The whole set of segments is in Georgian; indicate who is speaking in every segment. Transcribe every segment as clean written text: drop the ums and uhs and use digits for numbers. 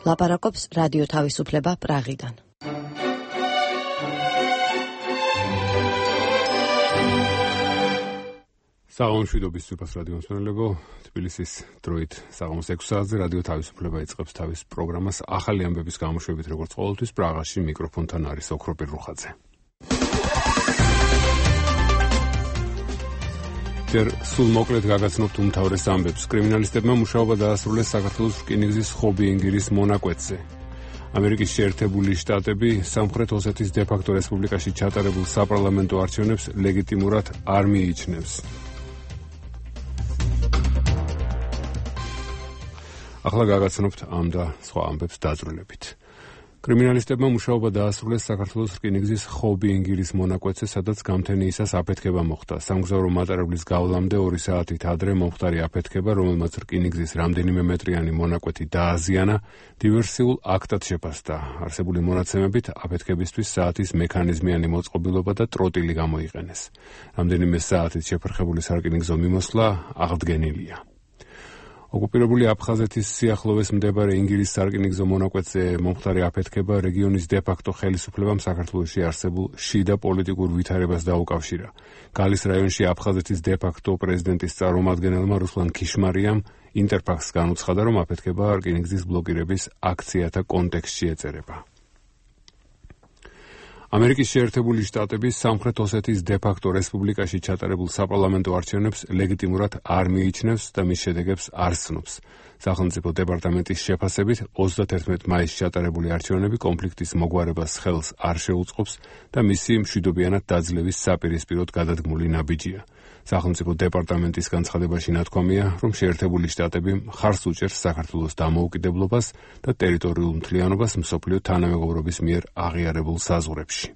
Speaker 1: ლაპარაკობს რადიო თავისუფლება პრაღიდან.
Speaker 2: საღამოშვიდობის სუფას რადიო მსმენელებო, თბილისის დროით საღამოს 6 საათზე რადიო თავისუფლება იწყებს თავის პროგრამას ახალი ამბების გამოშვებით, როგორც ყოველთვის პრაღაში მიკროფონთან არის ოქრო პირრუხაძე. ჯერ სულ მოკლედ გაგაცნობთ უმთავრეს ამბებს. კრიმინალისტებმა მუშაობა დაასრულეს საქართველოს რკინიგზის ხობი-ენგირის მონაკვეთზე. ამერიკის შეერთებული შტატები სამხრეთ ოსეთის დე-ფაქტო რესპუბლიკაში ჩატარებულ საპარლამენტო არჩევნებს ლეგიტიმურად არ მიიჩნევს. ახლა გაგაცნობთ ამ და სხვა ამბებს დაძრულებით. კრიმინალისტებმა მუშაობა დაასრულეს საქართველოს რკინიგზის ხობი-ენგირის მონაკვეთზე, სადაც გამთენიისას აფეთქება მოხდა. სამგზავრო მატარებლის გავლამდე 2 საათით ადრე მომხდარი აფეთქება, რომელმაც რკინიგზის რამდენიმე მეტრიანი მონაკვეთი დააზიანა, დივერსიულ აქტად შეფასდა. არსებული მონაცემებით აფეთქებისთვის საათის მექანიზმიანი მოწყობილობა და ტროტილი გამოიყენეს. რამდენიმე საათით შეფერხებული სარკინიგზო მიმოსვლა აღდგენილია. ოკუპირებული აფხაზეთის სიახლოვეს მდებარე ენგირის სარკინიგზო მონაკვეთზე მომხდარი აფეთქება რეგიონის დე-ფაქტო ხელისუფლებამ საქართველოში არსებულ შიდა პოლიტიკურ ვითარებას დაუკავშირა. გალის რაიონში აფხაზეთის დე-ფაქტო პრეზიდენტის წარმომადგენელმა რუსლან ქიშმარიამ ინტერფაქსს განუცხადა, რომ აფეთქება რკინიგზის ბლოკირების აქციათა კონტექსტში ეწერება. ამერიკის შეერთებული შტატები სამხრეთ ოსეთის დე-ფაქტო რესპუბლიკაში ჩატარებულ საპარლამენტო არჩევნებს ლეგიტიმურად არ მიიჩნევს და მის შედეგებს არ ცნობს. სახელმწიფო დეპარტამენტის შეფასებით 31 მაისს ჩატარებული არჩევნები კონფლიქტის მოგვარებას ხელს არ შეუწყობს და მისი მშვიდობიანად დაძლევის საპირისპიროდ გადადგმული ნაბიჯია. სახელმწიფო დეპარტამენტის განცხადებაში ნათქვამია, რომ შეერთებული შტატები მხარს უჭერს საქართველოს დამოუკიდებლობას და ტერიტორიულ მთლიანობას მსოფლიო თანამეგობრობის მიერ აღიარებულ საზღვრებში.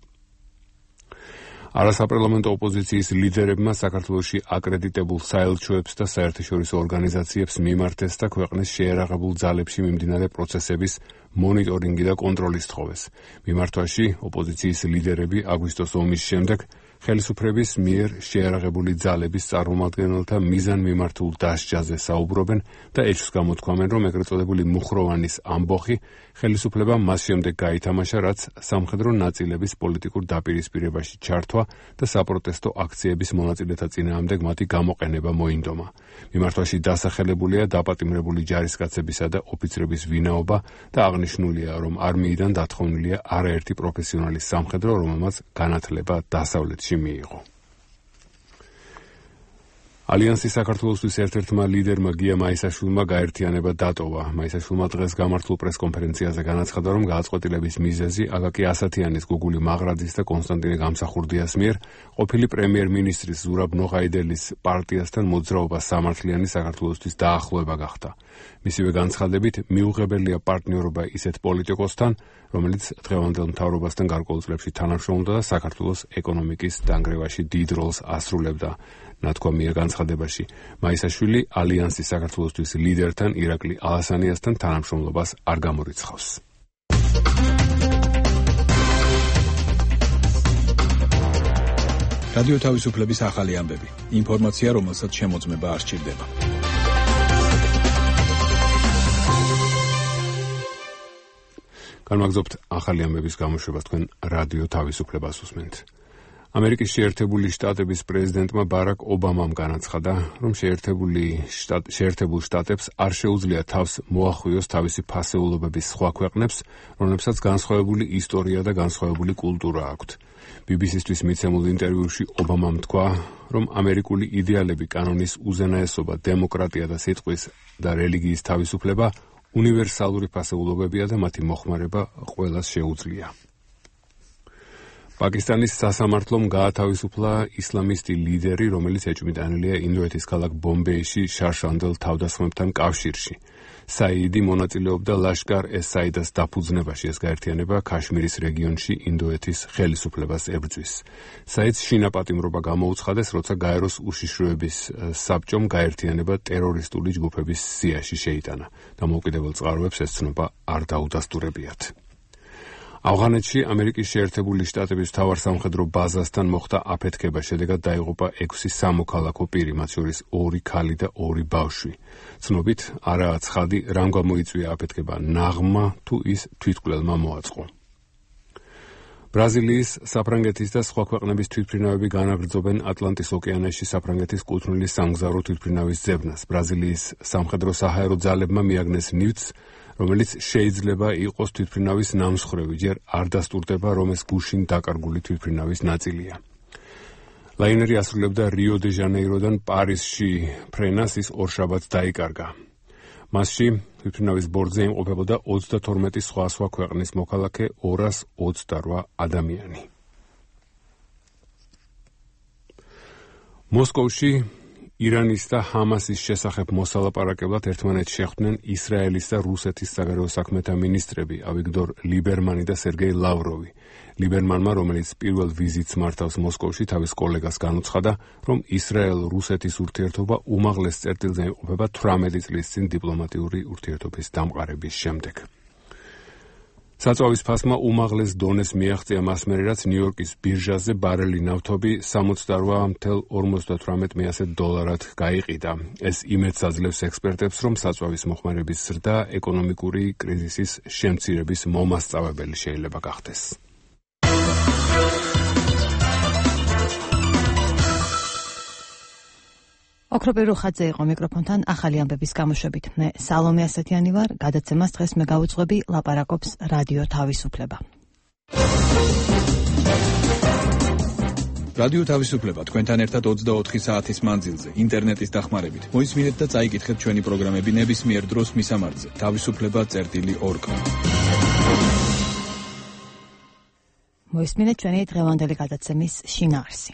Speaker 2: არასაპარლამენტო ოპოზიციის ლიდერებმა საქართველოში აკრედიტებულ საელჩოებს და საერთაშორისო ორგანიზაციებს მიმართეს და ქვეყნის შეერაღებულ ძალებში მიმდინარე პროცესების მონიტორინგი და კონტროლის თხოვეს. მიმართვაში ოპოზიციის ლიდერები აგვისტოს ომის შემდეგ ხელისუფლების მიერ შეერაღებული ძალების წარმომადგენელთა მიზანმიმართულ დასჯაზე საუბრობენ და ეჭვს გამოთქვამენ, რომ ეგრეთ წოდებული მუხროვანის ამბოხი ხელისუფლებამ მას შემდეგ გაითამაშა, რაც სამხედრო ნაწილების პოლიტიკურ დაპირისპირებაში ჩართვა და საპროტესტო აქციების მონაწილეთა წინააღმდეგ მათი გამოყენება მოინდომა. მიმართვაში დასახელებულია დაპატიმრებული ჯარისკაცებისა და ოფიცრების ვინაობა და აღნიშნულია, რომ არმიიდან დათხოვნილია არაერთი პროფესიონალის სამხედრო, რომელმაც განათლება დასავლეთში მიიღო. ალიანსის საქართველოსთვის ერთ-ერთმა ლიდერმა გია მაისაშვილმა გაერთიანება დატოვა. მაისაშვილმა დღეს გამართულ პრესკონფერენციაზე განაცხადა, რომ გააწყვეტილების მიზეზი აკაკი ასათიანის, გუგული მაღრაძის და კონსტანტინე გამსახურდიას მიერ ყოფილი პრემიერ-მინისტრის ზურაბ ნოღაიდელის პარტიასთან მოძრაობა სამართლიანი საქართველოსთვის დაახლოება გახდა. მისივე განცხადებით, მიუღებელია პარტნიორობა ისეთ პოლიტიკოსთან, რომელიც დღევანდელ მთავრობასთან გარკვეულ წლებში თანამშრომლობდა და საქართველოს ეკონომიკის დანგრევაში დიდ როლს ასრულებდა. ნათქვამია განცხადებაში, მაისაშვილი ალიანსის საქართველოსთვის ლიდერთან ირაკლი ალასანიასთან თანამშრომლობას არ გამორიცხავს.
Speaker 3: რადიო თავისუფლების ახალი ამბები. ინფორმაცია, რომელსაც შემოწმება არ სჭირდება.
Speaker 2: განმაგზობთ ახალი ამბების გამოშვებას თქვენ რადიო თავისუფლებას უსმენთ. ამერიკის შეერთებული შტატების პრეზიდენტმა ბარაკ ობამამ განაცხადა, რომ შეერთებულ შტატებს არ შეუძლია თავს მოახვიოს თავისი ფასეულობების სხვა ქვეყნებს, რომლებსაც განსხვავებული ისტორია და განსხვავებული კულტურა აქვთ. BBC-ისთვის მიცემულ ინტერვიუში ობამამ თქვა, რომ ამერიკული იდეალები, კანონის უზენაესობა, დემოკრატია და სიტყვის და რელიგიის თავისუფლება უნივერსალური ფასეულობებია და მათი მოხმარება ყველას შეუძლია. პაკისტანის სასამართლომ გაათავისუფლა ისლამისტი ლიდერი, რომელიც ეჭვმიტანილია ინდოეთის ქალაქ ბომბეიში შარშანდელ თავდასხმებთან კავშირში. საიდი მონაწილეობდა ლაშკარ-ეს-საიდას დაფუძნებაში. ეს გაერთიანება ქაშმირის რეგიონში ინდოეთის ხელისუფლებას ებრძვის. საიდს შინაპატიმრობა გამოუცხადეს, როცა გაეროს უშიშროების საბჭომ გაერთიანება ტერორისტული ჯგუფების სიაში შეიტანა. დამოუკიდებელ წყაროებს ეს ცნობა არ დაუდასტურებიათ. ავღანეთში ამერიკის შეერთებული შტატების მთავარ სამხედრო ბაზასთან მოხდა აფეთქება, შედეგად დაიღუპა 6 სამოქალაქო პირი, მათ შორის 2 ქალი და 2 ბავშვი. ცნობით, არაა ცხადი, რამ გამოიწვია აფეთქება, ნაღმა თუ ის თვითმკვლელმა მოაწყო. ბრაზილიის, საფრანგეთის და სხვა ქვეყნების თვითმფრინავები განაგრძობენ ატლანტის ოკეანეში საფრანგეთის კუთვნილი სამგზავრო თვითმფრინავის ძებნას. ბრაზილიის სამხედრო საჰაერო ძალებმა მიაგნეს ნივთს, რომელიც შეიძლება იყოს თვითმფრინავის ნამსხვრევი, ჯერ არ დასტურდება, რომ ეს გუშინ დაკარგული თვითმფრინავის ნაწილია. ლაინერი ასრულებდა რიო-დე-ჟანეიროდან პარიზში ფრენას, ის ორშაბათს დაიკარგა. მასში თვითმფრინავის ბორტზე იმყოფებოდა 32 სხვა ქვეყნის მოქალაქე, 228 ადამიანი. მოსკოვში ირანის და ჰამასის შესახებ მოსალაპარაკებლად ერთმანეთს შეხვდნენ ისრაელის და რუსეთის საგარეო საქმეთა მინისტრები ავიგდორ ლიბერმანი და სერგეი ლავროვი. ლიბერმანმა, რომელიც პირველ ვიზიტს მართავს მოსკოვში, თავის კოლეგას განუცხადა, რომ ისრაელ-რუსეთის ურთიერთობა უმაღლეს წერტილზე იმყოფება 18 წლის წინ დიპლომატიური ურთიერთობის დამყარების შემდეგ. საწვავის ფასმა უმაღლეს დონეს მიაღწია მას მერე, რაც ნიუ-იორკის ბირჟაზე ბარელი ნავთობი $78.98 გაიყიდა. ეს იმედს აძლევს ექსპერტებს, რომ საწვავის მოხმარების ზრდა ეკონომიკური კრიზისის შემცირების მომასწავებელი შეიძლება გახდეს.
Speaker 1: ოქროპი რუხაძე იყო მიკროფონთან ახალი ამბების გამოშვებით. მე სალომე ასათიანი ვარ, გადაცემას დღეს მე გავუძღვები, ლაპარაკობს რადიო თავისუფლება.
Speaker 3: რადიო თავისუფლება თქვენთან ერთად 24 საათის მანძილზე, ინტერნეტის დახმარებით. მოისმინეთ და წაიკითხეთ ჩვენი პროგრამები ნებისმიერ დროს მისამართზე. თავისუფლება.org.
Speaker 1: მოისმინეთ ჩვენი დღევანდელი გადაცემის შინაარსი.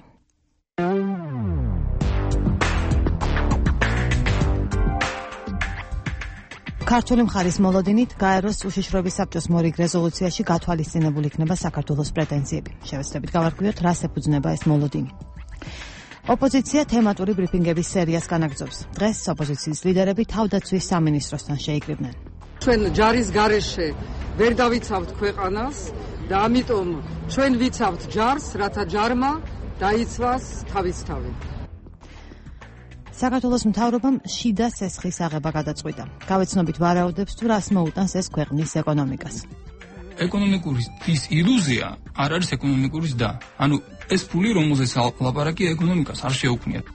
Speaker 1: ქართული მხარის მოლოდინით გაეროს უშიშროების საბჭოს მორიგ რეზოლუციაში გათვალისწინებული იქნება საქართველოს პრეტენზიები. შევეცდებით გავარკვიოთ, რას ეფუძნება ეს მოლოდინი. ოპოზიცია თემატური ბრიფინგების სერიას განაგრძობს. დღეს ოპოზიციის ლიდერები თავდაცვის სამინისტროსთან შეიკრიბნენ.
Speaker 4: ჩვენ ჯარის გარეშე ვერ დავიცავთ ქვეყანას და ამიტომ ჩვენ ვიცავთ ჯარს, რათა ჯარმა დაიცვას თავისთავი.
Speaker 1: საქართველოს მთავრობამ შიდა სესხის აღება გადაწყვიტა. გავეცნობით ვარაუდებს თუ რას მოუტანს ეს ქვეყნის ეკონომიკას.
Speaker 5: ეკონომიკური ის ილუზია არ არის ეკონომიკური და. ანუ ეს ფული, რომელზეც ლაპარაკია, ეკონომიკას არ შეუქმნიათ.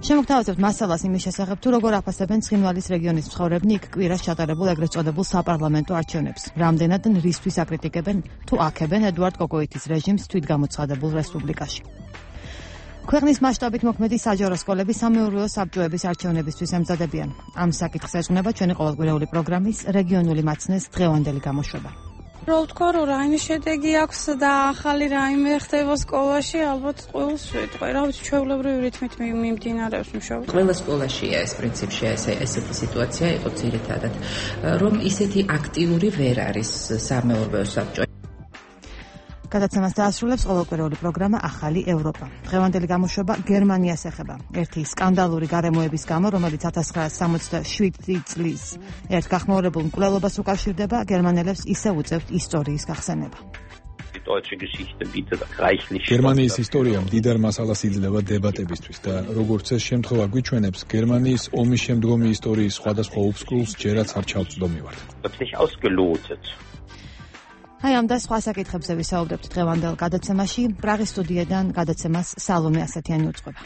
Speaker 1: შემოგთავაზებთ მასალას იმის შესახებ, თუ როგორ აფასებენ ცხინვალის რეგიონის მცხოვრებნი იქ კვირას ჩატარებულ ეგრეთ წოდებულ საპარლამენტო არჩევნებს. რამდენად რისთვის აკრიტიკებენ თუ აქებენ ედუარდ კოკოიტის რეჟიმს თვითგამოცხადებულ რესპუბლიკაში. ქვეყნის მასშტაბით მოქმედი საჯარო სკოლები სამეურვეო საბჭოების არჩევნებისთვის ემზადებიან. ამ საკითხს ეძღვნება ჩვენი ყოველკვირეული პროგრამის რეგიონული მაცნეს დღევანდელი გამოშვება.
Speaker 6: რო ვთქვა, რომ რაიმე შედეგი აქვს და ახალი რაიმე ხდება სკოლაში, ალბათ ყოველს ვიტყვი, რა ვიცი, ჩვეულებრივი რითმით მიმდინარეობს მუშაობა.
Speaker 7: ყველა სკოლაშია ეს პრინციპში ესეთი სიტუაცია იყო ძირითადად, რომ ისეთი აქტიური ვერ არის სამეურვეო საბჭო.
Speaker 1: გადაცემას დაასრულებს ყოველკვირეული პროგრამა ახალი ევროპა. დღევანდელი გამოშვება გერმანიას ეხება. ერთი სკანდალური გარემოების გამო, რომელიც 1967 წლის ერთ გახმაურებულ მკვლელობას უკავშირდება, გერმანელებს ისევ უწევთ ისტორიის გახსენება.
Speaker 3: გერმანიის ისტორია მდიდარ მასალას იძლევა დებატებისთვის და როგორც ეს შემთხვევა გვიჩვენებს, გერმანიის ომის შემდგომი ისტორიის სხვადასხვა უბსკულს ჯერაც არ ჩავწვდომივართ.
Speaker 1: აი ამ და სხვა საკითხებზე ვისაუბრებთ დღევანდელ გადაცემაში. პრაღის სტუდიიდან გადაცემას სალომე ასათიანი უძღვება.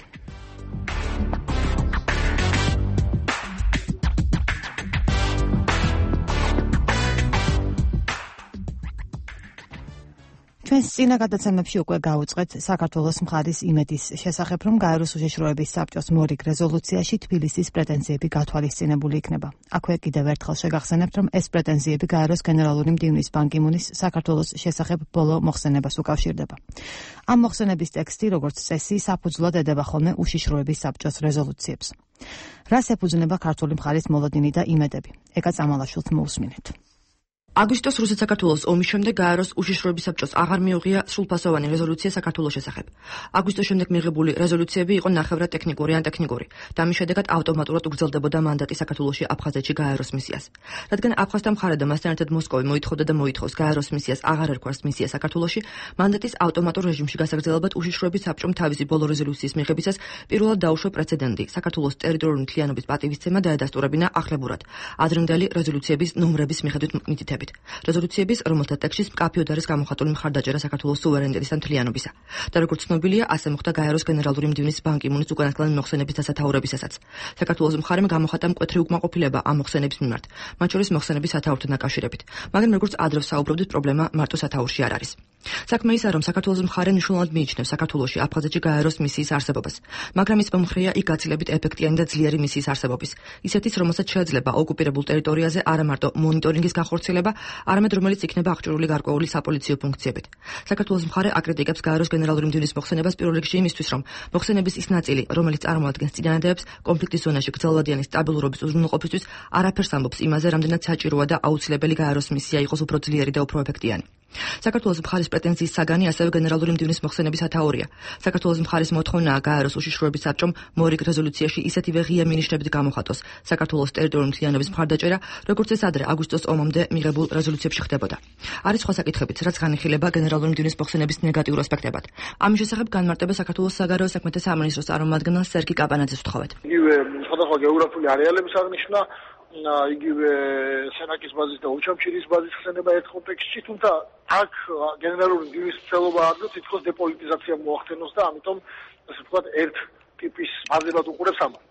Speaker 1: ჩვენს წინა გადაცემებში უკვე გაუწყეთ საქართველოს მხარის იმედის შესახებ, რომ გაეროს უშიშროების საბჭოს მორიგ რეზოლუციაში თბილისის პრეტენზიები გათვალისწინებული იქნება. აქვე კიდევ ერთხელ შეგახსენებთ, რომ ეს პრეტენზიები გაეროს გენერალური მდივნის ბან კი მუნის საქართველოს შესახებ ბოლო მოხსენებას უკავშირდება. ამ მოხსენების ტექსტი, როგორც წესი, საფუძვლად ედება ხოლმე უშიშროების საბჭოს რეზოლუციებს. რას ეფუძნება ქართული მხარის მოლოდინი და იმედები? ეკა წამალაშვილს მოусმინეთ.
Speaker 8: აგვისტოს რუსეთ-საქართველოს ომის შემდეგ გაეროს უშიშროების საბჭოს აღარ მიუღია სრულფასოვანი რეზოლუცია საქართველოს შესახებ. აგვისტოს შემდეგ მიღებული რეზოლუციები იყო ნახევრად ტექნიკური ან ტექნიკური და ამის შედეგად ავტომატურად უგრძელდებოდა მანდატი საქართველოში აფხაზეთში გაეროს მისიას. რადგან აფხაზთა მხარე და მასთან ერთად მოსკოვი მოითხოვდა და მოითხოვს გაეროს მისიას აღარ ერქვას მისია საქართველოში, მანდატის ავტომატურ რეჟიმში გასაგრძელებად უშიშროების საბჭომ თავისი ბოლო რეზოლუციის მიღებისას პირველად დაუშვა პრეცედენტი საქართველოს ტერიტორიული მთლიანობის პატივისცემა დაედასტურებინა ახლებურად ადრინდელი რეზოლუციების ნომრების მიხედვით მითითებით. რეზოლუციების, რომელთა ტექსტში მკაფიოდ არის გამოხატული მხარდაჭერა საქართველოს სუვერენიტეტის და მთლიანობისა. და როგორც ცნობილია, ასე მოხდა გაეროს გენერალური მდივნის ბან კი მუნის უკანასკნელი მოხსენების დასათაურებისასაც. საქართველოს მხარემ გამოხატა მკვეთრი უკმაყოფილება ამ მოხსენების მიმართ, მათ შორის მოხსენების სათაურთან დაკავშირებით. მაგრამ როგორც ადრე საუბრობდით, პრობლემა მარტო სათაურში არ არის. საქმე ისაა, რომ საქართველოს მხარე მნიშვნელოვნად მიიჩნევს საქართველოში აფხაზეთში გაეროს მისიის არსებობას, მაგრამ ის მომხრეა იქ გაცილებით ეფექტიანი და ძლიერი მისიის არსებობის. ისეთის, რომელსაც შეეძლება ოკუპირებულ ტერიტორიაზე არა მარტო მონიტორინგის განხორციელება, არამედ რომელიც იქნება აღჭურვილი გარკვეული საპოლიციო ფუნქციებით. საქართველოს მხარე აკრიტიკებს გაეროს გენერალური მდივნის მოხსენებას პირველ რიგში იმისთვის, რომ მოხსენების ის ნაწილი, რომელიც წარმოადგენს წინადადებს კონფლიქტის ზონაში გრძელვადიანი სტაბილურობის უზრუნველყოფისთვის, არაფერს ამბობს იმაზე, რამდენად საჭიროა და აუცილებელი გაეროს მისია იყოს უფრო ძლიერი და უფრო ეფექტიანი. საქართველოს მხარის პრეტენზიის საგანი ასევე გენერალური მდივნის მოხსენების ათაურია. საქართველოს მხარის მოთხოვნაა გაეროს უშიშროების საბჭომ მორიგ რეზოლუციაში ისეთივე ღია მინიშნებით გამოხატოს საქართველოს ტერიტორიული მთლიანობის მხარდაჭერა, როგორც ეს ადრე აგვისტოს ომამდე მიღებულ რეზოლუციებში ხდებოდა. არის სხვა საკითხებიც, რაც განიხილება გენერალური მდივნის მოხსენების ნეგატიურ ასპექტებად. ამის შესახებ განმარტება საქართველოს საგარეო საქმეთა სამინისტროს წარმომადგენელ სერგი კაპანაძეს ვთხოვეთ.
Speaker 9: იგივე სხვადასხვა გეოგრაფიული არეალების აღნიშვნა, იგივე სენაკის ბაზის და უჩამჩირის ბაზის ხსენება ერთ კონტექსტში, თუმცა აქ გენერალური მდივნის ცელობა არ გვაქვს, თითქოს დეპოლიტიზაცია მოახდენოს და ამიტომ ასე ვთქვათ ერთ ტიპის ბაზებად უყურებს ამას.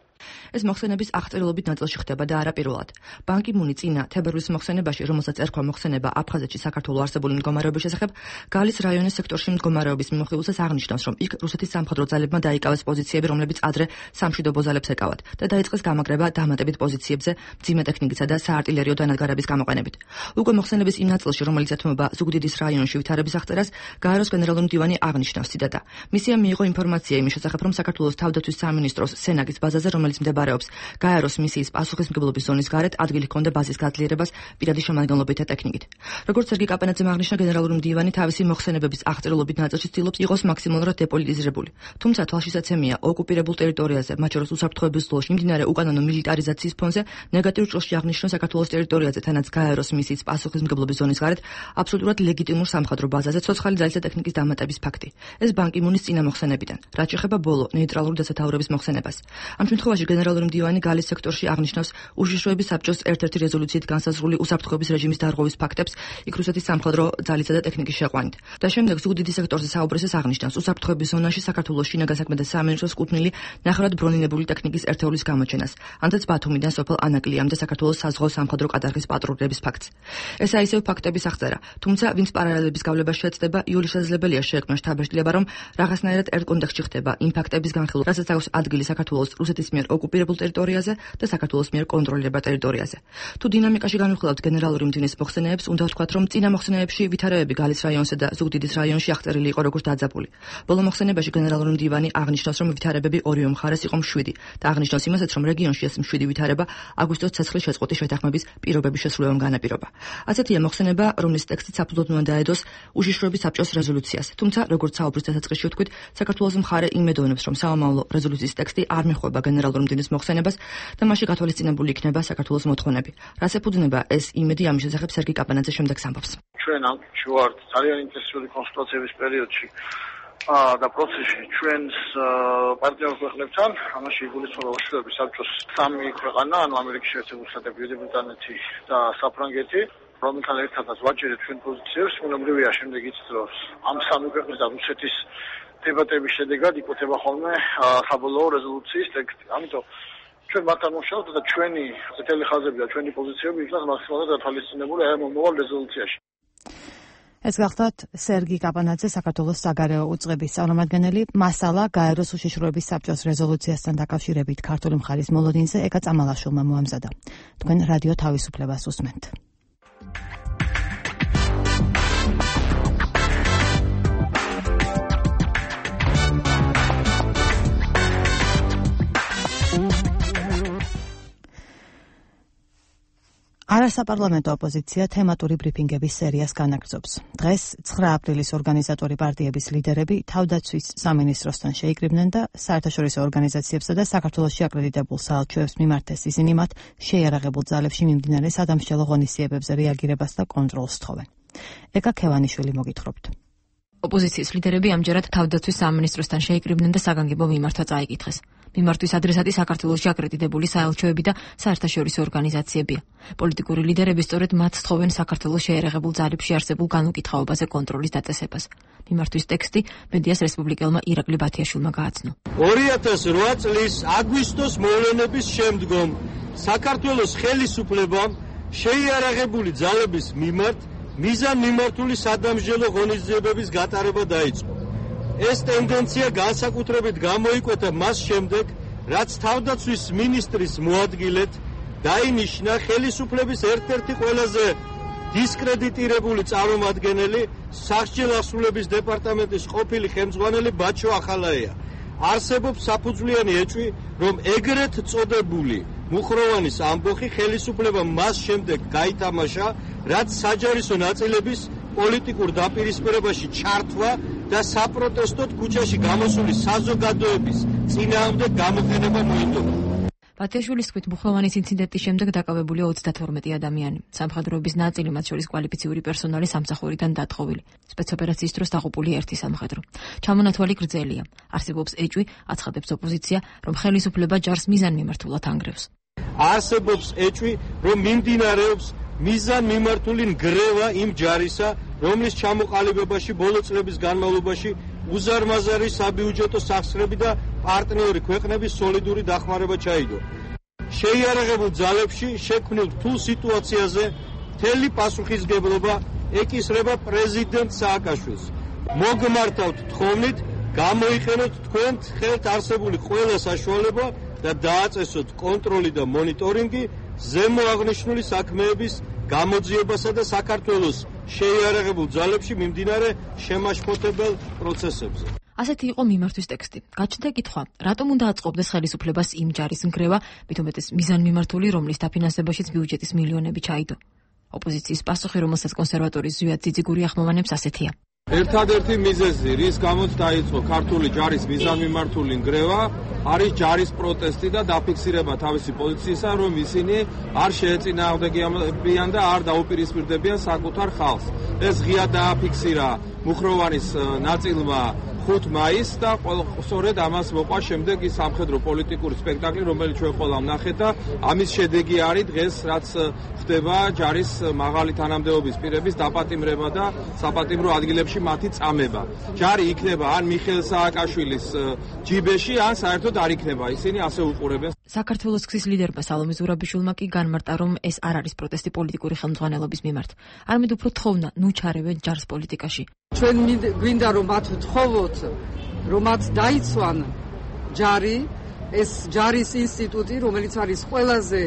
Speaker 8: ეს მოხსენების აღწერილობით ნაწილში ხდება და არა პირველად. ბან კი მუნი წინა თებერვლის მოხსენებაში, რომელსაც ერქვა მოხსენება აფხაზეთში საქართველოს არსებული მდგომარეობის შესახებ, გალის რაიონის სექტორში მდგომარეობის მიმოხილვასაც აღნიშნავს, რომ იქ რუსეთის სამხედრო ძალებმა დაიკავეს პოზიციები, რომლებიც ადრე სამშვიდობო ძალებს ეკავათ და დაიწყეს გამაგრება დამატებით პოზიციებზე მძიმე ტექნიკისა და საარტილერიო დანადგარების გამოყენებით. უკვე მოხსენების იმ ნაწილში, რომელიც ეთმობა ზუგდიდის რაიონში ვითარების აღწერას, გაეროს გენერალური მდივანი აღნიშნავს, ციტატა: მისიამ მიიღო ინფორმაცია იმის შესახებ, რომ საქართველოს თავდაცვის სამინისტროს სენაკის ბაზაზე, რომელიც მდებარეობს გაეროს მისიის პასუხისმგებლობის ზონის გარეთ, ადგილი ჰქონდა ბაზის გაძლიერებას პირადი შემადგენლობით და ტექნიკით. როგორც სერგი კაპანაძემ აღნიშნა, გენერალური მდივანი თავისი მოხსენებების აღწერილობით ნაწილში ცდილობს იყოს მაქსიმალურად დეპოლიტიზირებული. თუმცა თვალშისაცემია, ოკუპირებულ ტერიტორიაზე, მათ შორის უსაფრთხოების ზოლში მიმდინარე უკანონო მილიტარიზაციის ფონზე ნეგატიურ ჭრილში აღნიშნა საქართველოს ტერიტორიაზე, თანაც გაეროს მისიის პასუხისმგებლობის ზონის გარეთ აბსოლუტურად ლეგიტიმურ სამხედრო ბაზაზე ცოცხალი ძალის და ტექნიკის დამატების ფაქტი. ეს ბან კი მუნის წინა მოხსენებიდან, რაც შეეხება ბოლო ნეიტრალური დასათაურების მოხსენებას. ამ შემთხვევაში გენერალური მდივანი გალის სექტორში აღნიშნავს უშიშროების საბჭოს ერთ-ერთი რეზოლუციით განსაზღვრული უსაფრთხოების რეჟიმის დარღვევის ფაქტებს იქ რუსეთის სამხედრო ძალისა და ტექნიკის შეყვანით. და შემდეგ ზუგდიდის სექტორზე საუბრისას აღნიშნავს უსაფრთხოების ზონაში საქართველოს შინაგან საქმეთა სამინისტროს კუთვნილი ნახევრად ბრონირებული ტექნიკის ერთეულის გამოჩენას, ანთაც ბათუმიდან სოფელ ანაკლიამდე საქართველოს საზღვაო სამხედრო კატარღის პატრულების ფაქტს. ესაა ისევ ფაქტების აღწერა, თუმცა ვინც პარალელების გავლებას შეეცდება, იოლი შესაძლებელია შეექმნა შთაბეჭდილება, რომ რაღაცნაირად ერთ კონტექსტში ხდება იმ ფაქტების განხილვა, რასაც აქვს ადგილი საქართველოს რუსეთის მიერ ოკუპირებულ ტერიტორიაზე და საქართველოს მიერ კონტროლირებულ ტერიტორიაზე. თუ დინამიკაში განვიხილავთ გენერალური მდივნის მოხსენებებს, უნდა ვთქვათ, რომ წინა მოხსენებებში ვითარებები გალის რაიონსა და ზუგდიდის რაიონში აღწერილი იყო როგორც დაძაბული. ბოლო მოხსენებაში გენერალური მდივანი აღნიშნავს, რომ ვითარებები ორივე მხარეს იყო მშვიდი და აღნიშნავს იმასაც, რომ რეგიონში ეს მშვიდი ვითარება აგვისტოს ცეცხლის შეწყვეტის შეთანხმების პირობების შესრულებამ განაპირობა. ასეთია მოხსენება, რომლის ტექსტი საფუძვლად უნდა დაედოს უშიშროების საბჭოს რეზოლუციას. თუმცა, როგორც საუბრის დასაწყისში ვთქვით, საქართველოს მხარე იმედოვნებს, რომ სამომავლო რეზოლუციის ტექსტი არ მიხვდება გენერალური მდივნის მოხსენებას და მასში გათვალისწინებული იქნება საქართველოს მოთხოვნები. რას ეფუძნება ეს იმედი, ამის შესახებ სერგი კაპანაძე შემდეგს ამბობს.
Speaker 9: ჩვენ ამ ვართ ძალიან ინტენსიური კონსულტაციების პერიოდში და პროცესში ჩვენს პარტნიორ ქვეყნებთან, ამაში იგულისხმება უშიშროების საბჭოს სამი ქვეყანა, ანუ ამერიკის შეერთებული შტატები, ბრიტანეთი და საფრანგეთი, რომელთან ერთადაც ვაჭერეთ ჩვენ პოზიციებს. უნებრივია შემდეგ იცით, რომ ამ სამი ქვეყნის და რუსეთის დებატების შედეგად იკუთება ხოლმე საბოლოო რეზოლუციის ტექსტი. ამიტომ ჩვენ მათთან მუშაობთ და ჩვენი წითელი ხაზები და ჩვენი პოზიციები იქნას მაქსიმალურად გათვალისწინებული ამ მომავალ რეზოლუციაში.
Speaker 1: ეს გახლავთ სერგი კაპანაძე, საქართველოს საგარეო უწყების წარმომადგენელი. მასალა გაეროს უშიშროების საბჭოს რეზოლუციასთან დაკავშირებით ქართული მხარის მოლოდინზე ეკა წამალაშვილმა მოამზადა. თქვენ რადიო თავისუფლებას უსმენთ. არასაპარლამენტო ოპოზიცია თემატური ბრიფინგების სერიას განაგრძობს. დღეს 9 აპრილის ორგანიზატორი პარტიების ლიდერები თავდაცვის სამინისტროსთან შეიკრიბნენ და საერთაშორისო ორგანიზაციებსა და საქართველოში აკრედიტებულ საელჩოებს მიმართეს ისინი მათ შეიარაღებულ ძალებში მიმდინარე სადამსჯელო ღონისძიებებზე რეაგირებას და კონტროლს თხოვენ. ეკა ქევანიშვილი მოგითხრობთ.
Speaker 8: ოპოზიციის ლიდერები ამჯერად თავდაცვის სამინისტროსთან შეიკრიბნენ და საგანგებო მიმართვა წაიკითხეს. მიმართვის ადრესატი საქართველოში აკრედიტებული საელჩოები და საერთაშორისო ორგანიზაციებია. პოლიტიკური ლიდერები სწორედ მათ თხოვენ საქართველოს შეიარაღებულ ძალებში არსებულ განუკითხაობაზე კონტროლის დაწესებას. მიმართვის ტექსტი მედიას რესპუბლიკელმა ირაკლი ბათიაშვილმა გააცნო.
Speaker 10: 2008 წლის აგვისტოს მოვლენების შემდგომ საქართველოს ხელისუფლებამ შეიარაღებული ძალების მიმართ მიზანმიმართული სადამსჯელო ღონისძიებების გატარება დაიწყო. ეს ტენდენცია განსაკუთრებით გამოიკვეთა მას შემდეგ, რაც თავდაცვის მინისტრის მოადგილედ დაინიშნა ხელისუფლების ერთ-ერთი ყველაზე დისკრედიტირებული წარმომადგენელი სასჯელ ასრულების დეპარტამენტის ყოფილი ხელმძღვანელი ბაჩო ახალაია. არსებობს საფუძვლიანი ეჭვი, რომ ეგრეთ წოდებული მუხროვანის ამბოხი ხელისუფლებამ მას შემდეგ გაითამაშა, რაც საჯარისო ნაწილების პოლიტიკურ დაპირისპირებაში ჩართვა და საპროტესტოდ ქუჩაში გამოსული საზოგადოების წინააღმდეგ გამოყენება მოიტოვა.
Speaker 8: ბათიაშვილის თქმით, მუხროვანის ინციდენტის შემდეგ დაკავებულია 32 ადამიანი. სამხედროების ნაწილი, მათ შორის კვალიფიციური პერსონალი სამსახურიდან დათხოვილი. სპეცოპერაციის დროს დაღუპული ერთი სამხედრო. ჩამონათვალი გრძელია. არსებობს ეჭვი, აცხადებს ოპოზიცია, რომ ხელისუფლება ჯარს მიზანმიმართულად ანგრევს.
Speaker 10: არსებობს ეჭვი, რომ მიმდინარეობს მიზანმიმართული ნგრევა იმ ჯარისა, რომლის ჩამოყალიბებაში ბოლო წლების განმავლობაში უზარმაზარი საბიუჯეტო სახსრები და პარტნიორი ქვეყნების სოლიდური დახმარება ჩაიდო. შეიარაღებულ ძალებში შექმნილ რთულ სიტუაციაზე მთელი პასუხისგებლობა ეკისრება პრეზიდენტ სააკაშვილს. მოგმართავთ თხოვნით, გამოიყენოთ თქვენთ ხელთ არსებული ყველა საშუალება და დააწესოთ კონტროლი და მონიტორინგი ზემოაღნიშნული საქმეების გამოძიებასა და საქართველოს შეიარაღებულ ძალებში მიმდინარე შემაშფოთებელ პროცესებზე.
Speaker 8: ასეთი იყო მიმართვის ტექსტი. გაჩნდა კითხვა, რატომ უნდა აწყობდეს ხელისუფლებას იმ ჯარის ნგრევა, მით უმეტეს მიზანმიმართული, რომლის დაფინანსებაშიც ბიუჯეტის მილიონები ჩაიდო. ოპოზიციის პასუხი, რომელსაც კონსერვატორი ზვიად ძიძიგური ახმოვანებს, ასეთია.
Speaker 11: ერთადერთი მიზეზი, რის გამოც დაიწყო ქართული ჯარის მიზანმიმართული ნგრევა, არის ჯარის პროტესტი და დაფიქსირება თავისი პოზიციისა, რომ ისინი არ შეეწინააღმდეგებიან და არ დაუპირისპირდებიან საკუთარ ხალხს. ეს ღია დააფიქსირა მუხროვანის ნაწილმა 5 მაისს და სწორედ ამას მოყვა შემდეგ ის სამხედრო პოლიტიკური სპექტაკლი, რომელიც ჩვენ ყველამ ნახეთ და ამის შედეგი არის დღეს, რაც ხდება ჯარის მაღალი თანამდებობის პირების დაპატიმრება და საპატიმრო ადგილებში მათი წამება. ჯარი იქნება ან მიხეილ სააკაშვილის ჯიბეში, ან საერთოდ არ იქნება. ისინი ასე უყურებენ.
Speaker 8: საქართველოს გზის ლიდერმა სალომე ზურაბიშვილმა კი განმარტა, რომ ეს არ არის პროტესტი პოლიტიკური ხელმძღვანელობის მიმართ. არამედ უფრო თხოვნა, ნუ ჩარევენ ჯარს პოლიტიკაში.
Speaker 4: ჩვენ გვინდა რომ მათ ვთხოვოთ, რომ მათ დაიცვან ჯარი, ეს ჯარის ინსტიტუტი, რომელიც არის ყველაზე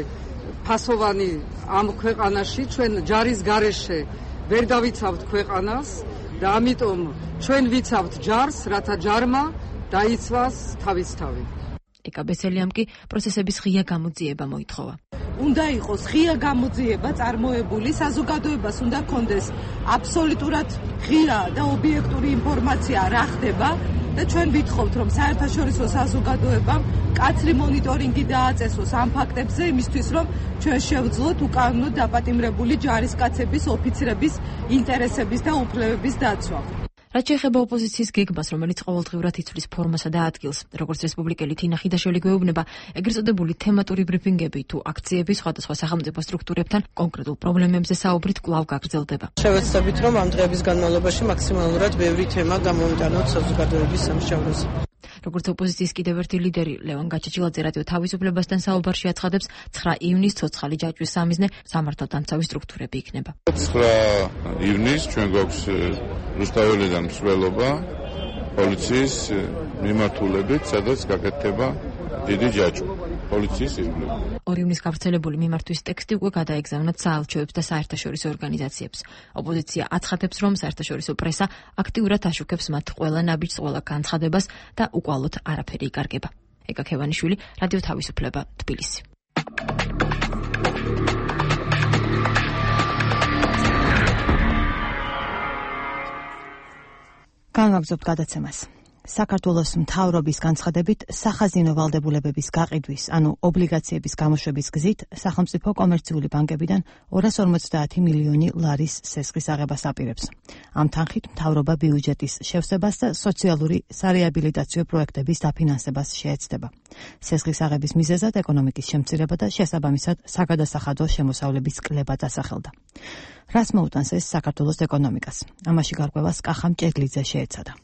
Speaker 4: ფასოვანი ამ ქვეყანაში, ჩვენ ჯარის გარეშე ვერ დავიცავთ ქვეყანას და ამიტომ ჩვენ ვიცავთ ჯარს, რათა ჯარმა დაიცვას თავისთავად.
Speaker 8: ეკა ბესელიამ კი პროცესების ღია გამოძიება მოითხოვა.
Speaker 12: უნდა იყოს ღია გამოძიება წარმოებული, საზოგადოებას უნდა კონდეს აბსოლუტურად ღია და ობიექტური ინფორმაცია რა ხდება და ჩვენ ვითხოვთ, რომ საერთაშორისო საზოგადოებამ კაცრი მონიტორინგი დააწესოს ამ ფაქტებზე იმისთვის, რომ ჩვენ შევძლოთ უკანონოდ დაპატიმრებული ჯარისკაცების, ოფიცრების ინტერესების და უფლებების დაცვა.
Speaker 8: რაც შეეხება ოპოზიციის გეგმას, რომელიც ყოველდღიურად იცვლის ფორმასა და ადგილს, როგორც რესპუბლიკელი თინა ხიდაშვილი გვეუბნება, ეგრეთ წოდებული თემატური ბრიფინგები თუ აქციები სხვადასხვა სახელმწიფო სტრუქტურებთან კონკრეტულ პრობლემებზე საუბრით კვლავ გაგრძელდება.
Speaker 13: შევეცდებით, რომ ამ დღეების განმავლობაში მაქსიმალურად ბევრი თემა გამოვიტანოთ საზოგადოების სამშაბლოზე.
Speaker 8: როგორც ოპოზიციის კიდევ ერთი ლიდერი ლევან გაჩეჩილაძე რადიო თავისუფლებასთან საუბარში აცხადებს, 9 ივნის ცოცხალი ჯაჭვის სამიზნე სამართალდამცავი სტრუქტურები იქნება.
Speaker 14: 9 ივნის ჩვენ გვაქვს რუსთაველიდან მსვლელობა პოლიციის მიმართულებით, სადაც გაკეთდება დიდი ჯაჭვი. პოლიციის ირგვლივ.
Speaker 8: 2 ივნის გავრცელებული მიმართვის ტექსტი უკვე გადაეგზავნათ საელჩოებს და საერთაშორისო ორგანიზაციებს. ოპოზიცია აცხადებს, რომ საერთაშორისო პრესა აქტიურად აშუქებს მათ ყველა ნაბიჯს, ყველა განცხადებას და უკვალოდ არაფერი იკარგება. ეკა ქევანიშვილი, რადიო თავისუფლება, თბილისი.
Speaker 1: განვაგრძობთ გადაცემას. საქართველოს მთავრობის განცხადებით სახაზინო ვალდებულებების გაყიდვის, ანუ ობლიგაციების გამოშვების გზით სახელმწიფო კომერციული ბანკებიდან 250 მილიონი ლარის სესხის აღებას აპირებს. ამ თანხით მთავრობა ბიუჯეტის შევსებას და სოციალური სარეაბილიტაციო პროექტების დაფინანსებას შეეცდება. სესხის აღების მიზეზად ეკონომიკის შემცირება და შესაბამისად საგადასახადო შემოსავლების კლება დასახელდა. რას მოუტანს ეს საქართველოს ეკონომიკას? ამაში გარკვევას კახამ ჭედლიძე შეეცადა.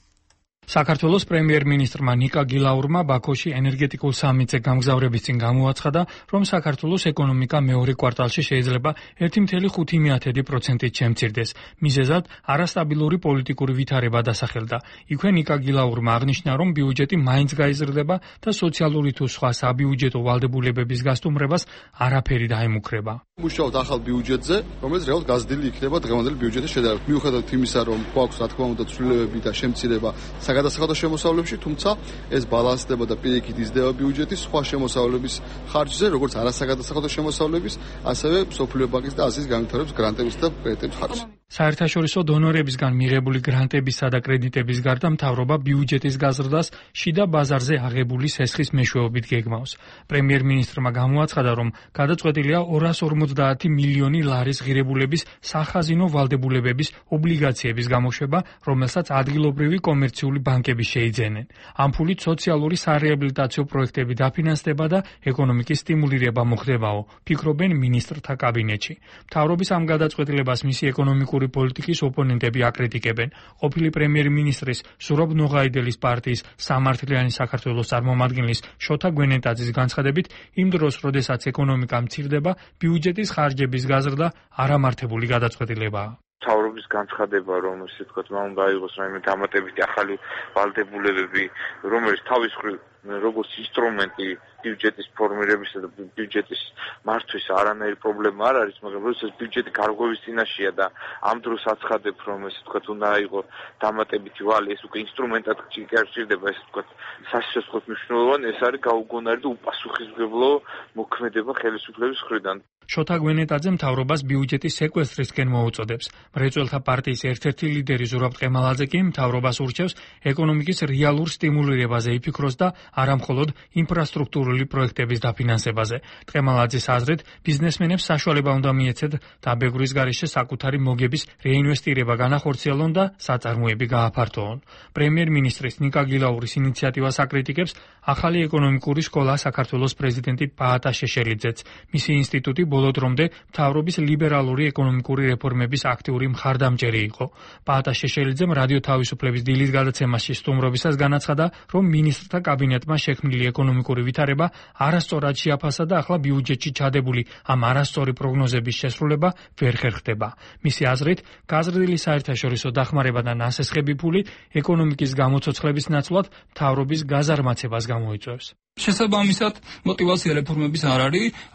Speaker 15: საქართველოს პრემიერ-მინისტრმა ნიკა გილაურმა ბაქოში ენერგეტიკულ სამიტზე გამგზავრების წინ გამოაცხადა, რომ საქართველოს ეკონომიკა მეორე კვარტალში შეიძლება 1.5%-ით შემცირდეს. მიზეზად არასტაბილური პოლიტიკური ვითარება დასახელდა. იქვე ნიკა გილაურმა აღნიშნა, რომ ბიუჯეტი მაინც გაიზრდება და სოციალური თუ სხვა საბიუჯეტო ვალდებულებების გასტუმრებას არაფერი დაემუქრება.
Speaker 16: მუშაობთ ახალ ბიუჯეტზე, რომელიც რეალურად გაზრდილი იქნება დღევანდელი ბიუჯეტის შედარებით. მიუხედავად იმისა, რომ გვაქვს რა თქმა უნდა ცვლილებები და შემცირება გადასახადო შემოსავლებში, თუმცა ეს ბალანსდება და პირიქით იზრდება ბიუჯეტი სხვა შემოსავლების ხარჯზე, როგორც არასაგადასახადო შემოსავლების, ასევე მსოფლიო ბანკის და აზიის განვითარების გრანტების და კრედიტების ხარჯზე.
Speaker 15: საერთაშორისო დონორებისგან მიღებული გრანტებისა და კრედიტების გარდა მთავრობა ბიუჯეტის გაზრდას შიდა ბაზარზე აღებული სესხის მეშვეობით გეგმავს. პრემიერ-მინისტრმა გამოაცხადა, რომ გადაწყვეტილია 250 მილიონი ლარის ღირებულების სახაზინო ვალდებულებების ობლიგაციების გამოშვება, რომელსაც ადგილობრივი კომერციული ბანკები შეიძენენ. ამ ფულით სოციალური სარეაბილიტაციო პროექტები დაფინანსდება და ეკონომიკის სტიმულირება მოხდებაო, ფიქრობენ მინისტრთა კაბინეტში. მთავრობის ამ გადაწყვეტილებას მისი ეკონომიკური პოლიტიკის ოპონენტები აკრიტიკებენ. ყოფილი პრემიერ-მინისტრის სურაბ ნოღაიდელის პარტიის სამართლიანი საქართველოს წარმომადგენლის შოთა გვენეტაძის განცხადებით, იმ დროს, როდესაც ეკონომიკა მცირდება, ბიუჯეტის ხარჯების გაზრდა არამართებული გადაწყვეტილებაა.
Speaker 17: მთავრობის განცხადება, რომ ისე ვთქვათ, უნდა აიღოს რაიმე დამატებითი ახალი ვალდებულებები, რომელიც თავის მხრივ როგორც ინსტრუმენტი ბიუჯეტის ფორმირებისა და ბიუჯეტის მართვის არანაირი პრობლემა არ არის, მაგრამ როდესაც ბიუჯეტი გარღვევის წინაშეა და ამ დროს აცხადებ, რომ ესე ვთქვათ, უნდა აიღო დამატებითი ვალი, ეს უკვე ინსტრუმენტად ჭირდება, ესე ვთქვათ, სასიცოცხლოს მნიშვნელოვანი, ეს არის გაუგონარი და უპასუხისმგებლო მოქმედება ხელისუფლების მხრიდან.
Speaker 15: შოთა გვენეტაძე მთავრობას ბიუჯეტის სეკვესტრისკენ მოუწოდებს. მრეწველთა პარტიის ერთ-ერთი ლიდერი ზურაბ ტყემალაძე კი მთავრობას ურჩევს ეკონომიკის რეალურ სტიმულირებაზე იფიქროს და არა მხოლოდ ინფრასტრუქტურული პროექტების დაფინანსებაზე. ტყემალაძის აზრით, ბიზნესმენებს საშუალება უნდა მიეცეთ დაბეგვრის გარეშე საკუთარი მოგების რეინვესტირება განახორციელონ და საწარმოები გააფართოონ. პრემიერ-მინისტრის ნიკა გილაურის ინიციატივას აკრიტიკებს ახალი ეკონომიკური სკოლა საქართველოს პრეზიდენტი პაატა შეშელიძეც. მისი ინსტიტუტი ბოლო დრომდე მთავრობის ლიბერალური ეკონომიკური რეფორმების აქტიური მხარდამჭერი იყო. პაატა შეშელიძემ რადიო თავისუფლების დილის გადაცემაში სტუმრობისას განაცხადა, რომ მინისტრთა კაბინეტმა შექმნილი ეკონომიკური ვითარება არასწორად შეაფასა და ახლა ბიუჯეტში ჩადებული ამ არასწორი პროგნოზების შესრულება ვერ ხერხდება. მისი აზრით, გაზრდილი საერთაშორისო დახმარება და ნასესხები ფული ეკონომიკის გამოცოცხლების ნაცვლად მთავრობის გაზარმაცებას გამოიწვევს.
Speaker 5: შესაბამისად, мотивация რეფორმების არ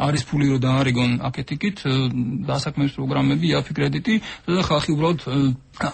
Speaker 5: არის ფული რომ დაარიგონ აკეთიკით, დასაქმების პროგრამები, IAF კრედიტი და ხალხი უბრალოდ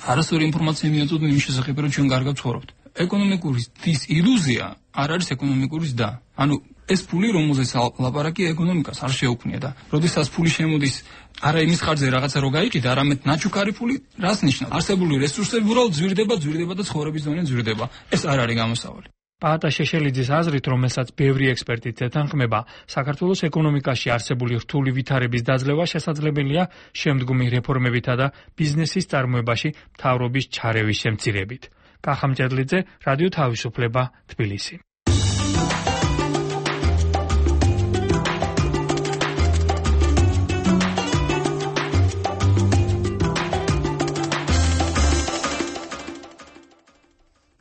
Speaker 5: არასწორი ინფორმაცია მიაწოდონ იმ შესახებ, რომ ჩვენ კარგად ცხოვრობთ. ეკონომიკური ის ილუზია არ არის ეკონომიკური და. ანუ ეს ფული, რომელზეც ლაპარაკია, ეკონომიკას არ შეუქმნია და როდესაც ფული შემოდის არა იმის ხარჯზე რაღაცა რო გაიყიდა, არამედ ნაჩუქარი ფული, რას ნიშნავს? არსებული რესურსები უბრალოდ ძვირდება და ცხოვრების დონე ძვირდება. ეს არ არის გამოსავალი.
Speaker 15: პაატა შეშელიძის აზრით, რომელსაც ბევრი ექსპერტი ეთანხმება, საქართველოს ეკონომიკაში არსებული რთული ვითარების დაძლევა შესაძლებელია შემდგომი რეფორმებითა და ბიზნესის წარმოებაში მთავრობის ჩარევის შემცირებით. კახამ ჭედლიძე, რადიო თავისუფლება, თბილისი.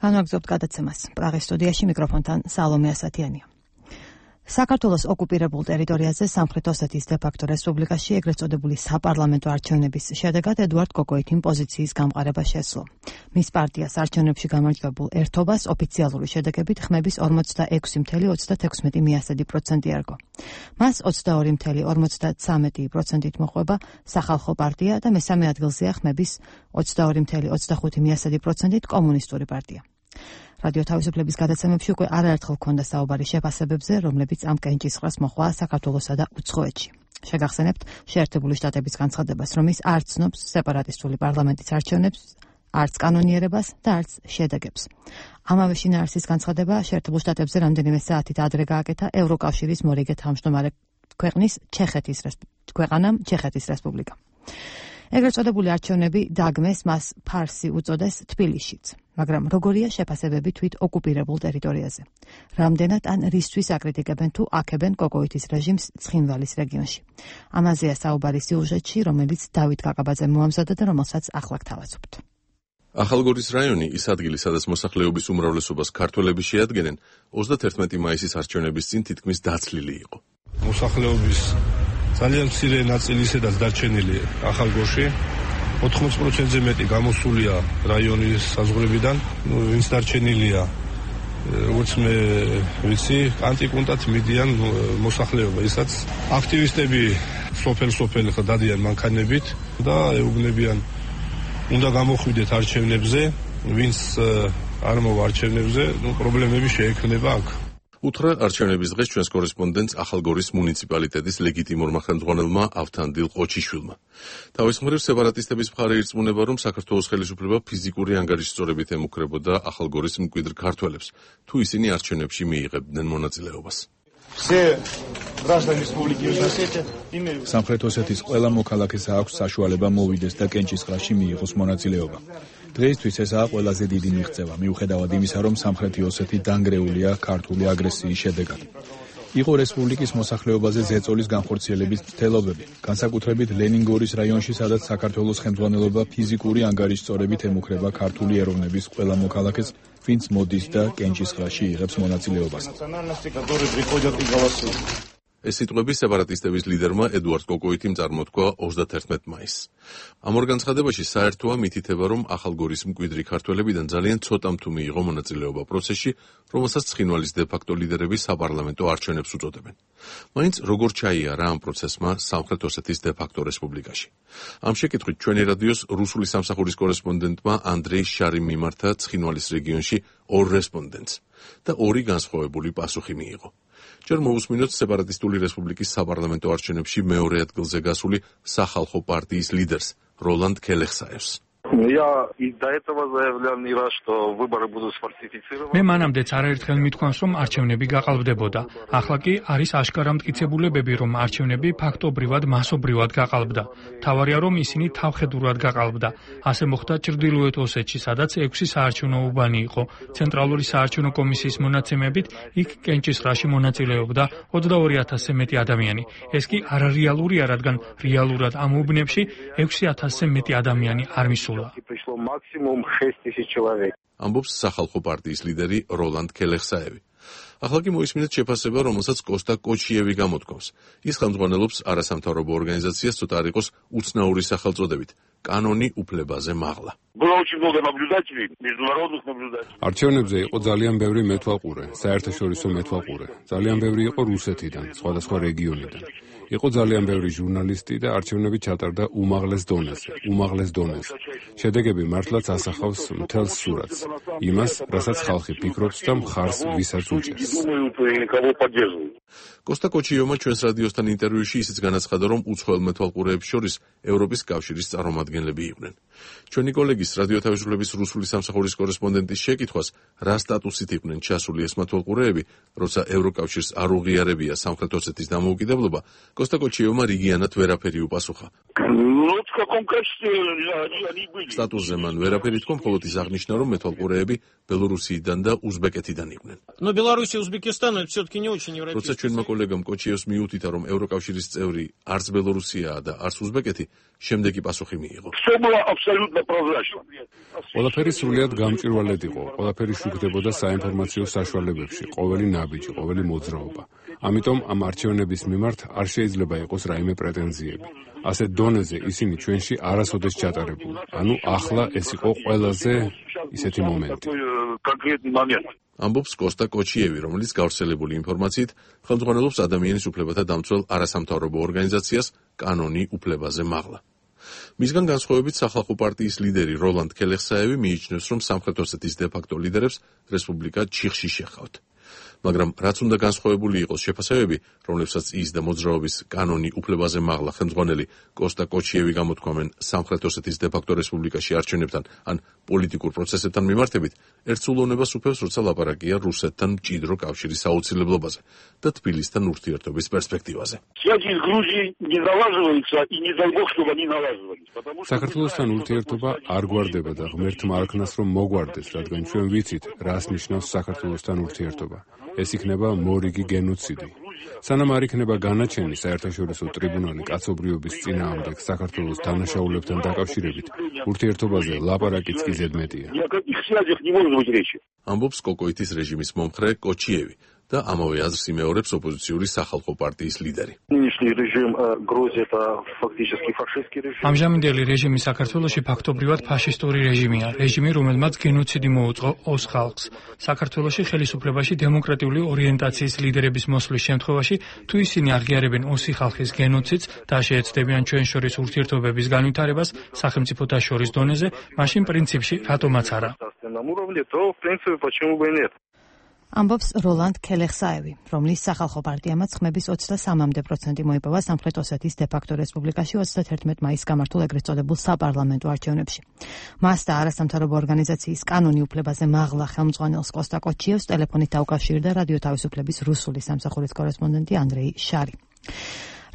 Speaker 1: განვაგრძობთ გადაცემას. პრაღის სტუდიაში მიკროფონთან სალომე ასათიანია. საქართველოს ოკუპირებულ ტერიტორიაზე სამხრეთ ოსეთის დე-ფაქტო რესპუბლიკაში ეგრეთ წოდებული საპარლამენტო არჩევნების შედეგად ედუარდ კოკოითიმ პოზიციის გამყარება შესძლო. მის პარტიას არჩევნებში გამარჯვებულ ერთობას ოფიციალური შედეგებით ხმების 46.36% იარგო. მას 22.53%-ით მოჰყვება სახალხო პარტია და მესამე ადგილზეა ხმების 22.25%-ით კომუნისტური პარტია. რადიო თავისუფლების გადაცემებში უკვე არაერთხელ ჰქონდა საუბარი შეფასებებზე, რომლებიც ამ კენჭისყრას მოჰყვა საქართველოსა და უცხოეთში. შეგახსენებთ შეერთებული შტატების განცხადებას, რომ ის არ ცნობს სეპარატისტული პარლამენტის არჩევნებს არც კანონიერებას და არც შედეგებს. ამავე შინაარსის განცხადება შეერთებულ შტატებზე რამდენიმე საათით ადრე გააკეთა ევროკავშირის მორიგე თავმჯდომარე ქვეყნის ჩეხეთის რესპუბლიკა. ეგრეთ წოდებული არჩევნები დაგმეს, მას ფარსი უწოდეს თბილისშიც. მაგრამ როგორია შეფასებები თვით ოკუპირებულ ტერიტორიაზე? რამდენად ან რისთვის აკრიტიკებენ თუ აქებენ კოკოითის რეჟიმს ცხინვალის რეგიონში? ამაზეა საუბარი სიუჟეტში, რომელიც დავით კაკაბაძემ მოამზადა და რომელსაც ახლა გთავაზობთ.
Speaker 18: ახალგორის რაიონი ის ადგილი, სადაც მოსახლეობის უმრავლესობას ქართველები შეადგენენ, 31 მაისის არჩევნების წინ თითქმის დაცლილი იყო.
Speaker 19: მოსახლეობის ძალიან მცირე ნაწილი ისედაც დარჩენილი ახალგორში, 80%-ზე მეტი გამოსულია რაიონის საზღვრებიდან, ვინც დარჩენილია, როგორც მე ვიცი, კანტიკუნტად მიდიან მოსახლეობა, ისაც აქტივისტები სოფელ-სოფელ დადიან მანქანებით და ეუბნებიან, უნდა გამოხვიდეთ არჩევნებზე, ვინც არ მოვა არჩევნებზე, პრობლემები შეექმნება აქ.
Speaker 18: უთხრა არჩევნების დღეს ჩვენს კორესპონდენტს ახალგორის მუნიციპალიტეტის ლეგიტიმურმა ხელმძღვანელმა ავთანდილ ყოჩიშვილმა. თავის მხრივ სეპარატისტების მხარე ირწმუნება, რომ საქართველოს ხელისუფლება ფიზიკური ანგარიშსწორებით ემუქრებოდა ახალგორის მკვიდრ ქართველებს, თუ ისინი არჩევნებში მიიღებდნენ მონაწილეობას.
Speaker 3: სამხრეთ ოსეთის ყველა მოქალაქეს აქვს საშუალება მოვიდეს და კენჭისყრაში მიიღოს მონაწილეობა. დღეისთვის ესაა ყველაზე დიდი მიღწევა, მიუხედავად იმისა, რომ სამხრეთი ოსეთი დანგრეულია ქართული აგრესიის შედეგად. იყო რესპუბლიკის მოსახლეობაზე ზეწოლის განხორციელების მცდელობები, განსაკუთრებით ლენინგორის რაიონში, სადაც საქართველოს ხელმძღვანელობა ფიზიკური ანგარიშსწორებით ემუქრება ქართული ეროვნების ყველა მოქალაქეს, ვინც მოდის და კენჭისყრაში იღებს მონაწილეობას.
Speaker 18: ეს სიტყვები სეპარატისტების ლიდერმა ედუარდ კოკოითიმ წარმოთქვა 31 მაისს. ამ ორ განცხადებაში საერთოა მითითება, რომ ახალგორის მკვიდრი ქართველებიდან ძალიან ცოტამ თუ მიიღო მონაწილეობა პროცესში, რომელსაც ცხინვალის დე-ფაქტო ლიდერები საპარლამენტო არჩევნებს უწოდებენ. მაინც როგორ ჩაიარა ამ პროცესმა სამხრეთ ოსეთის დე-ფაქტო რესპუბლიკაში? ამ შეკითხვით ჩვენი რადიოს რუსული სამსახურის კორესპონდენტმა ანდრეი შარიმ მიმართა ცხინვალის რეგიონში ორ რესპონდენტს და ორი განსხვავებული პასუხი მიიღო. ჯერ მოусმინოთ სეპარატისტული რესპუბლიკის საპარლამენტო არჩევნებში მეორე ადგილზე გასული სახალხო პარტიის ლიდერს როლანდ ქელეხსაევს.
Speaker 15: მე მანამდეც არაერთხელ მithქვამს, რომ არჩევნები გაყალბდებოდა. ახლა კი არის აშკარა მტკიცებულებები, რომ არჩევნები ფაქტობრივად მასობრივად გაყალბდა. თავარია, რომ ისინი თავხედურად გაყალბდა. ასე მოხდა ჩრდილოეთ ოსეთში, სადაც 6 საარჩევნო უბანი იყო. ცენტრალური საარჩევნო კომისიის მონაცემებით იქ კენჭისყრაში მონაწილეობდა 22,000-ზე მეტი ადამიანი. ეს კი არარეალურია, რადგან რეალურად ამ უბნებში 6,000-ზე მეტი ადამიანი არ მისულა.
Speaker 18: ამბობს სახალხო პარტიის ლიდერი როლანდ ქელეხსაევი. ახლა კი მოისმინეთ შეფასება, რომელსაც კოსტა კოჩიევი გამოთქვამს. ის ხელმძღვანელობს არასამთავრობო ორგანიზაციას, ცოტა არ იყოს უცნაური სახელწოდებით კანონი უფლებაზე მაღლა.
Speaker 2: არჩევნებზე იყო ძალიან ბევრი მეთვალყურე, საერთაშორისო მეთვალყურე. ძალიან ბევრი იყო რუსეთიდან, სხვადასხვა რეგიონიდან. იყო ძალიან ბევრი ჟურნალისტი და არჩევნები ჩატარდა უმაღლეს დონეზე. შედეგები მართლაც ასახავს მთელს სურათს, იმას, რასაც ხალხი ფიქრობს და მხარს ვისაც უჭერს.
Speaker 18: კოსტა კოჩიოვმა ჩვენს რადიოსთან ინტერვიუში ისიც განაცხადა, რომ უცხოელ მეთვალყურეებს შორის ევროპის კავშირის წარმომადგენლები იყვნენ. ჩვენი კოლეგის რადიოთავისუფლების რუსული სამსახურის კორესპონდენტის შეკითხვას, რა სტატუსით იყვნენ ჩასული ეს მეთვალყურეები, როცა ევროკავშირს არ უღიარებია სამხრეთ ოსეთის დამოუკიდებლობა, კოსტა კოჩიოვმა რიგიანად ვერაფერი უპასუხა. სტატუსზე მან ვერაფერი თქვა, მხოლოდ ის აღნიშნა, რომ მეთვალყურეები ბელორუსიიდან და უზბეკეთიდან იყვნენ. როცა ჩვენმა კოლეგამ კოჩიევს მიუთითა, რომ ევროკავშირის წევრი არც ბელორუსიაა და არც უზბეკეთი, შემდეგი პასუხი მიიღო.
Speaker 2: ყველაფერი სრულიად გამჭვირვალედ იყო, ყველაფერი შუქდებოდა საინფორმაციო საშუალებებში, ყოველი ნაბიჯი, ყოველი მოძრაობა. ამიტომ ამ არჩევნების მიმართ არ შეიძლება იყოს რაიმე პრეტენზიები. ასეთ დონეზე ისინი ჩვენში არასოდეს ჩატარებულ. ანუ ახლა ეს იყო ყველაზე ისეთი მომენტი.
Speaker 18: ამბობს კოსტა კოჩიევი, რომელიც გავრცელებული ინფორმაციით ხელმძღვანელობს ადამიანის უფლებათა დამცველ არასამთავრობო ორგანიზაციას კანონი უფლებაზე მაღლა. მისგან განსხვავებით სახალხო პარტიის ლიდერი როლანდ ქელეხსაევი მიიჩნევს, რომ სამხრეთ ოსეთის დე-ფაქტო ლიდერებს რესპუბლიკა ჩიხში შეჰყავთ. მაგრამ რაც უნდა განსხვავებული იყოს შეფასებები, რომლებსაც ის და მოძრაობის კანონი უფლებაზე მაღლა ხელმძღვანელი კოსტა კოჩიევი გამოთქვამენ სამხრეთ ოსეთის დე-ფაქტო რესპუბლიკაში არჩევნებთან ან პოლიტიკურ პროცესებთან მიმართებით, ერთსულოვნებას უფევს, როცა ლაპარაკია რუსეთთან მჭიდრო კავშირის აუცილებლობაზე და თბილისთან ურთიერთობის პერსპექტივაზე.
Speaker 2: საქართველოსთან ურთიერთობა არ გვარდება და ღმერთმა არქნას რომ მოგვარდეს, რადგან ჩვენ ვიცით, რას ნიშნავს საქართველოსთან ურთიერთობა. ეს იქნება მორიგი გენოციდი. სანამ არ იქნება განაჩენი საერთაშორისო ტრიბუნალი კაცობრიობის წინააღმდეგ საქართველოს დანაშაულებთან დაკავშირებით, ურთიერთობაზე ლაპარაკიც კი ზედმეტია.
Speaker 18: ამბობს კოკოიტის რეჟიმის მომხრე კოჩიევი და ამავე აზრს იმეორებს ოპოზიციური სახალხო პარტიის ლიდერი.
Speaker 15: ამჟამინდელი რეჟიმი საქართველოში ფაქტობრივად ფაშისტური რეჟიმია, რეჟიმი, რომელმაც გენოციდი მოუწყო ოს ხალხს. საქართველოში ხელისუფლებაში დემოკრატიული ორიენტაციის ლიდერების მოსვლის შემთხვევაში, თუ ისინი აღიარებენ ოსი ხალხის გენოციდს და შეეცდებიან ჩვენ შორის ურთიერთობების განვითარებას სახელმწიფოთა შორის დონეზე, მაშინ პრინციპში რატომაც არა.
Speaker 1: ამბობს როლანდ ქელეხსაევი, რომლის სახალხო პარტიამაც ხმების 23% მოიპოვა სამხრეთ ოსეთის დე-ფაქტო რესპუბლიკაში 31 მაისს გამართულ ეგრეთ წოდებულ საპარლამენტო არჩევნებში. მას და არასამთავრობო ორგანიზაციის კანონი უფლებაზე მაღლა ხელმძღვანელს კოსტა კოჩიევს ტელეფონით დაუკავშირდა რადიო თავისუფლების რუსული სამსახურის კორესპონდენტი ანდრეი შარი.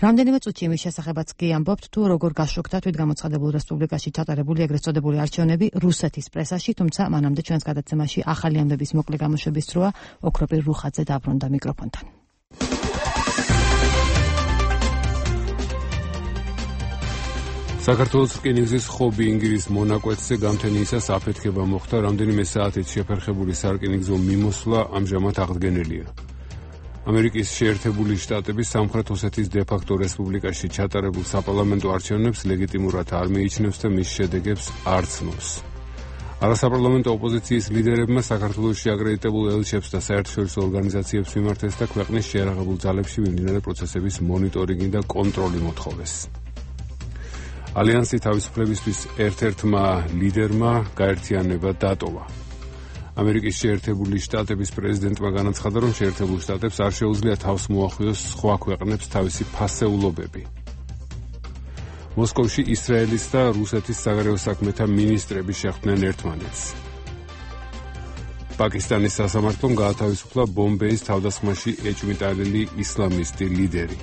Speaker 1: რამდენიმე წუთში იმის შესახებაც კი ამბობთ, თუ როგორ გაშუქდა თვითგამოცხადებულ რესპუბლიკაში ჩატარებული ეგრეთ წოდებული არჩევნები რუსეთის პრესაში, თუმცა მანამდე ჩვენს გადაცემაში ახალი ამბების მოკლე გამოშვების დროა ოქროპირ რუხაძე დაბრუნდა მიკროფონთან.
Speaker 2: საქართველოს რკინიგზის ხობი-ინგირის მონაკვეთზე გამთენიისას აფეთქება მოხდა, რამდენიმე საათით შეფერხებული სარკინიგზო მიმოსვლა ამჟამად აღდგენილია. ამერიკის შეერთებული შტატების სამხრეთ ოსეთის დე-ფაქტო რესპუბლიკაში ჩატარებულ საპარლამენტო არჩევნებს ლეგიტიმურად არ მიიჩნევს და მის შედეგებს არ ცნობს. არასაპარლამენტო ოპოზიციის ლიდერებმა საქართველოში აკრედიტებულ ელჩებს და საერთაშორისო ორგანიზაციებს მიმართეს და ქვეყნის შეიარაღებულ ძალებში მიმდინარე პროცესების მონიტორინგი და კონტროლი მოთხოვეს. ალიანსი თავისუფლებისთვის ერთ-ერთმა ლიდერმა გაერთიანება დატოვა. ამერიკის შეერთებული შტატების პრეზიდენტმა განაცხადა, რომ შეერთებულ შტატებს არ შეუძლია თავს მოახვიოს სხვა ქვეყნებს თავისი ფასეულობები. მოსკოვში ისრაელის და რუსეთის საგარეო საქმეთა მინისტრები შეხვდნენ ერთმანეთს. პაკისტანის სასამართლომ გაათავისუფლა ბომბეის თავდასხმაში ეჭვმიტანილი ისლამისტი ლიდერი.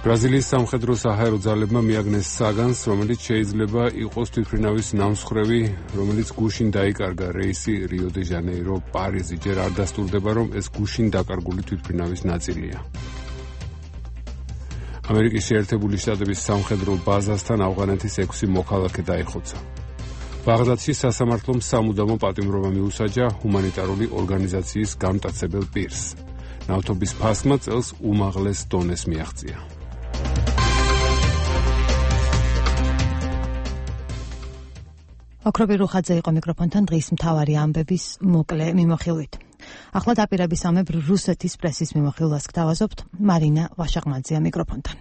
Speaker 2: ბრაზილიის სამხედრო საჰაერო ძალებმა მიაგნეს საგანს, რომელიც შეიძლება იყოს თვითმფრინავის ნამსხვრევი, რომელიც გუშინ დაიკარგა რეისი რიო-დე-ჟანეირო პარიზი. ჯერ არ დასტურდება, რომ ეს გუშინ დაკარგული თვითმფრინავის ნაწილია. ამერიკის შეერთებული შტატების სამხედრო ბაზასთან ავღანეთის 6 მოქალაქე დაიხოცა. ბაღდადში სასამართლომ სამუდამო პატიმრობა მიუსაჯა ჰუმანიტარული ორგანიზაციის გამტაცებელ პირს. ნავთობის ფასმა წელს უმაღლეს დონეს მიაღწია.
Speaker 1: ოქროპირ რუხაძე იყო მიკროფონთან დღის მთავარი ამბების მოკლე მიმოხილვით. ახლა დაპირების ამებრ რუსეთის პრესის მიმოხილვას გთავაზობთ. მარინა ვაშაღმაძეა მიკროფონთან.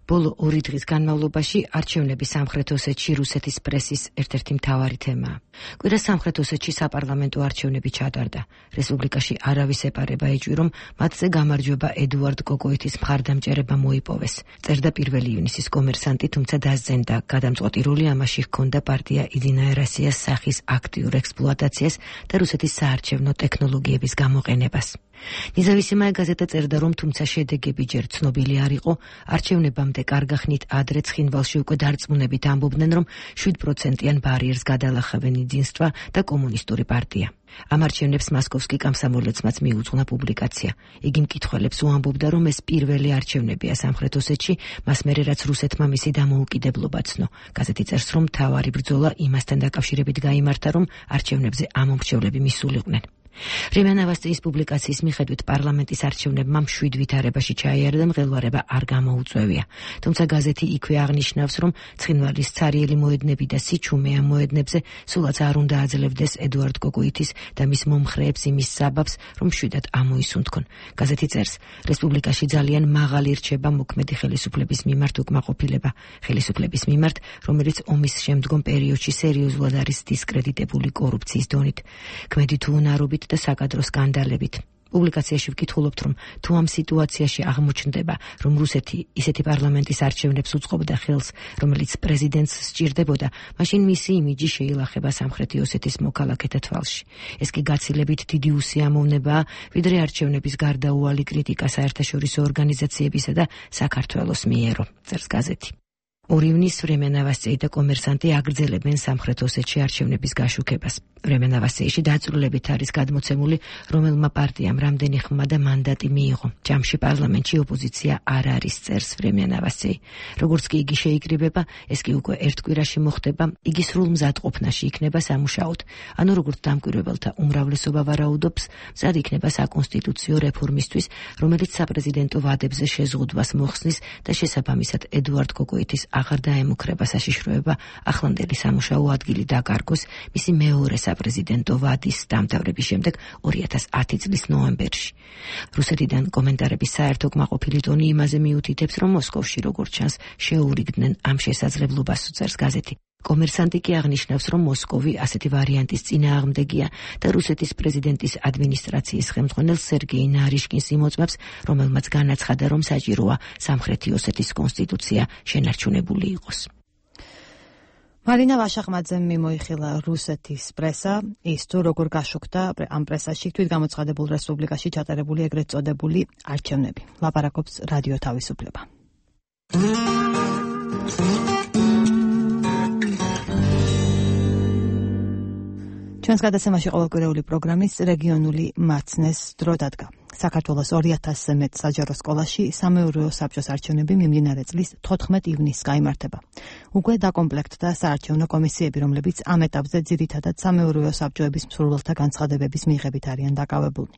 Speaker 20: ბოლო 2 დღის განმავლობაში არჩევნები სამხრეთ ოსეთში რუსეთის პრესის ერთ-ერთი მთავარი თემაა. კვირა სამხრეთ ოსეთში საპარლამენტო არჩევნები ჩატარდა. რესპუბლიკაში არავის ეპარება ეჭვი, რომ მათზე გამარჯვება ედუარდ კოკოიტის მხარდამჭერება მოიპოვეს. წერდა 1 ივნისის კომერსანტი, თუმცა დასძენდა. გადამწყვეტი როლი ამაში ჰქონდა პარტია იდინაია როსიას სახის აქტიურ ექსპლუატაციას და რუსეთის საარჩევნო ტექნოლოგიების გამოყენებას. ნეზავისიმაია გაზეტა წერდა, რომ თუმცა შედეგები ჯერ ცნობილი არ იყო, არჩევნებამდე კარგახნით ადრე ცხინვალში უკვე დარწმუნებით ამბობდნენ, რომ 7%-იან ბარიერს გადალახავენ იძინსტვა და კომუნისტური პარტია. ამ არჩევნებს მასკოვსკი კამსამოლეცმაც მიუძღვნა პუბლიკაცია. იგი მკითხველებს უამბობდა, რომ ეს პირველი არჩევნებია სამხრეთ ოსეთში, მას მერე რაც რუსეთმა მისი დამოუკიდებლობა ცნო. გაზეთი წერს, რომ მთავარი ბრძოლა იმასთან დაკავშირებით გაიმართა, რომ არჩევნებზე ამომრჩევლები მისულიყვნენ. რემიანავასტიის პუბლიკაციის მიხედვით პარლამენტის არჩევნებმა მშვიდ ვითარებაში ჩაიარა და მღელვარება არ გამოუწვევია. თუმცა გაზეთი იქვე აღნიშნავს, რომ ცხინვალის ცარიელი მოედნები და სიჩუმე ამ მოედნებზე სულაც არ უნდა აძლევდეს ედუარდ კოკოიტის და მის მომხრეებს იმის საბაბს, რომ მშვიდად ამოისუნთქონ. გაზეთი წერს, რესპუბლიკაში ძალიან მაღალი რჩება მოქმედი ხელისუფლების მიმართ უკმაყოფილება. ხელისუფლების მიმართ, რომელიც ომის შემდგომ პერიოდში სერიოზულად არის დისკრედიტებული კორუფციის დონით. ქმედი თუ უნარობით კორუფციით და საკადრო სკანდალებით. პუბლიკაციაში ვკითხულობთ, რომ თუ ამ სიტუაციაში აღმოჩნდება, რომ რუსეთი ისეთი პარლამენტის არჩევნებს უწყობდა ხელს, რომელიც პრეზიდენტს სჭირდებოდა, მაშინ მისი იმიჯი შეილახება სამხრეთი ოსეთის მოქალაქეთა თვალში. ეს კი გაცილებით დიდი უსიამოვნებაა, ვიდრე არჩევნების გარდაუვალი კრიტიკა საერთაშორისო ორგანიზაციებისა და საქართველოს მიერო, წერს გაზეთი. 2 ივნის Vremya Novostei და კომერსანტი აგრძელებენ სამხრეთ ოსეთში არჩევნების გაშუქებას. Vremya Novosteiში დაწვრილებით არის გადმოცემული, რომელმა პარტიამ რამდენი ხმა და მანდატი მიიღო. ჯამში პარლამენტში ოპოზიცია არ არის, წერს Vremya Novostei. როგორც კი იგი შეიკრიბება, ეს კი უკვე ერთ კვირაში მოხდება, იგი სრულ მზადყოფნაში იქნება სამუშაოდ. ანუ როგორც დამკვირვებელთა უმრავლესობა ვარაუდობს, მზად იქნება საკონსტიტუციო რეფორმისთვის, რომელიც საპრეზიდენტო ვადებზე შეზღუდვას მოხსნის და შესაბამისად ედუარდ კოკოიტის აღარ დაემუქრება საშიშროება ახლანდელი სამუშაო ადგილი დაკარგოს მისი მეორე საპრეზიდენტო ვადის დამთავრების შემდეგ 2010 წლის ნოემბერში. რუსეთიდან კომენტარების საერთო კმაყოფილი ტონი იმაზე მიუთითებს, რომ მოსკოვში როგორც ჩანს შეურიგდნენ ამ შესაძლებლობას, წერს გაზეთი. კომერსანტი კი აღნიშნავს, რომ მოსკოვი ასეთი ვარიანტის წინააღმდეგია და რუსეთის პრეზიდენტის ადმინისტრაციის ხელმძღვანელ სერგეი ნარიშკინს იმოწმებს, რომელმაც განაცხადა, რომ საჭიროა სამხრეთი ოსეთის კონსტიტუცია შენარჩუნებული იყოს.
Speaker 1: მარინა ვაშახმაძემ მიმოიხილა რუსეთის პრესა, ის თუ როგორ გაშუქდა ამ პრესაში თვითგამოცხადებულ რესპუბლიკაში ჩატარებული ეგრეთ წოდებული არჩევნები. ლაპარაკობს რადიო თავისუფლება. ჩვენს გადაცემაში ყოველკვირეული პროგრამის რეგიონული მაცნეს დრო დადგა. საქართველოს 2000-ზე მეტ საჯარო სკოლაში სამეურვეო საბჭოს არჩევნები მიმდინარე წლის 14 ივნისს გაიმართება. უკვე დაკომპლექტდა საარჩევნო კომისიები, რომლებიც ამ ეტაპზე ძირითადად სამეურვეო საბჭოების მსურველთა განცხადებების მიღებით არიან დაკავებულნი.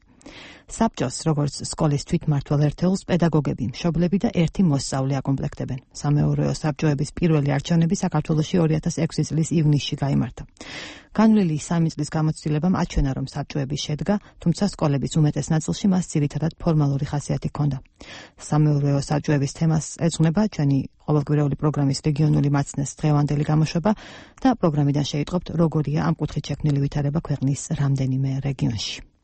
Speaker 1: საბჭოს, როგორც სკოლის თვითმმართველ ერთეულს, პედაგოგები, მშობლები და ერთი მოსწავლე აკომპლექტებენ. სამეურვეო საბჭოების პირველი არჩევნები საქართველოში 2006 წლის ივნისში გაიმართა. განვლილი 3 წლის გამოცდილებამ აჩვენა, რომ საბჭოები შედგა, თუმცა სკოლების უმეტეს ნაწილში მას ძირითადად ფორმალური ხასიათი ჰქონდა. სამეურვეო საბჭოების თემას ეძღვნება ჩვენი ყოველკვირეული პროგრამის რეგიონული მაცნეს დღევანდელი გამოშვება და პროგრამიდან შეიტყობთ, როგორია ამ კუთხით შექმნილი ვითარება ქვეყნის რამდენიმე რეგიონში.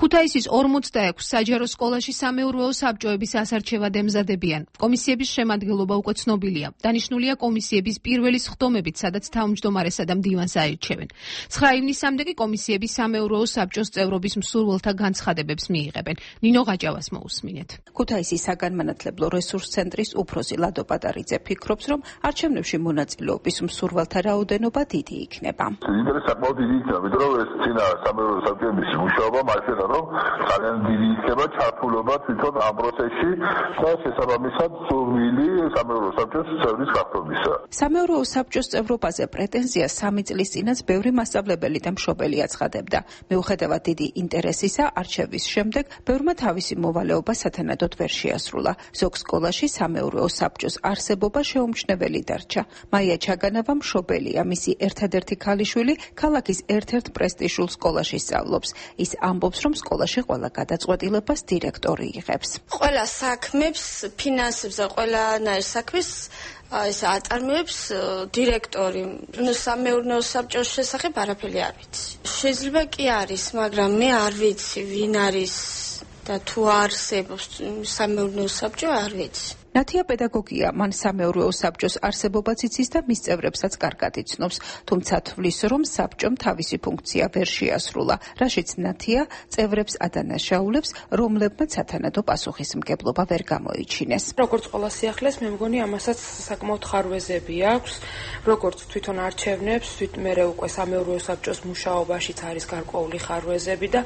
Speaker 21: ქუთაისის 46 საჯარო სკოლაში სამეურვეო საბჭოების ასარჩევად ემზადებიან. კომისიების შემადგენლობა უკვე ცნობილია. დანიშნულია კომისიების პირველი სხდომებით, სადაც თავმჯდომარესა და მდივანს აირჩევენ. 9 ივნისამდე კი კომისიები სამეურვეო საბჭოს წევრობის მსურველთა განცხადებებს მიიღებენ. ნინო გაჭავას მოусმინეთ.
Speaker 22: ქუთაისის საგანმანათლებლო რესურს ცენტრის უფროსი ლადო პატარიძე ფიქრობს, რომ არჩევნებში მონაწილეობის მსურველთა რაოდენობა დიდი იქნება.
Speaker 23: ინტერესი საკმაოდ დიდი იქნება, იმიტომ რომ ეს წინა სამეურვეო საბჭოების მუშაობა მასეა, რომ ძალიან დიდი იქნება ჩართულობა თვითონ ამ პროცესში და შესაბამისად სურვილი სამეურვეო საბჭოს წევრის გახდომისა.
Speaker 22: სამეურვეო საბჭოს წევრობაზე პრეტენზიას 3 წლის წინაც ბევრი მასწავლებელი და მშობელი აცხადებდა. მიუხედავად დიდი ინტერესისა, არჩევის შემდეგ ბევრმა თავისი მოვალეობა სათანადოდ ვერ შეასრულა. ზოგ სკოლაში სამეურვეო საბჭოს არსებობა შეუმჩნეველი დარჩა. მაია ჩაგანავა მშობელია, მისი ერთადერთი ქალიშვილი ქალაქის ერთ-ერთ პრესტიჟულ სკოლაში სწავლობს. ის ამბობს, რომ სკოლაში ყველა გადაწყვეტილებას დირექტორი იღებს.
Speaker 24: ყველა საქმებს, ფინანსებზე, ყველანაირ საქმეს ეს აწარმოებს დირექტორი. სამეურნეო საბჭოს შესახებ არაფერი არ ვიცი. შეიძლება კი არის, მაგრამ მე არ ვიცი, ვინ არის და თუ არსებობს სამეურნეო საბჭო, არ ვიცი.
Speaker 22: ნათია პედაგოგია, მან სამეურვეო საბჭოს არსებობაც იცის და მის წევრებსაც კარგად იცნობს, თუმცა თვლის, რომ საბჭომ თავისი ფუნქცია ვერ შეასრულა, რაშიც ნათია წევრებს ადანაშაულებს, რომლებმაც სათანადო პასუხისმგებლობა ვერ გამოიჩინეს.
Speaker 25: როგორც ყველა სიახლეს, მე მგონი ამასაც საკმაოდ ხარვეზები აქვს, როგორც თვითონ არჩევნებს, მერე უკვე სამეურვეო საბჭოს მუშაობაშიც არის გარკვეული ხარვეზები და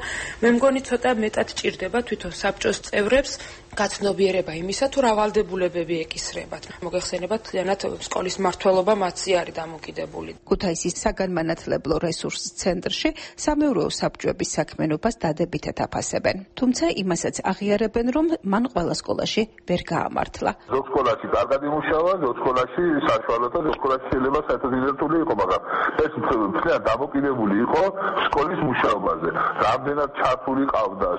Speaker 25: მე მგონი ცოტა მეტად ჭირდება თვითონ საბჭოს წევრებს გაცნობიერება იმისა, თუ რა ვალდებულებები ეკისრებათ. მოგეხსენებათ, თლიანად სკოლის მმართველობა მათზე არის დამოკიდებული.
Speaker 22: ქუთაისის საგანმანათლებლო რესურს ცენტრში სამეურვეო საბჭოების საქმიანობას დადებითად აფასებენ. თუმცა იმასაც აღიარებენ, რომ მან ყველა სკოლაში ვერ გაამართლა.
Speaker 23: ზოგ სკოლაში კარგად იმუშავა, ზოგ სკოლაში საშუალო და ზოგ სკოლაში შეიძლება საერთოდ იზრდული იყო, მაგრამ ეს თლიანად დამოკიდებული იყო სკოლის მუშაობაზე. რამდენად ჩართული ყავდა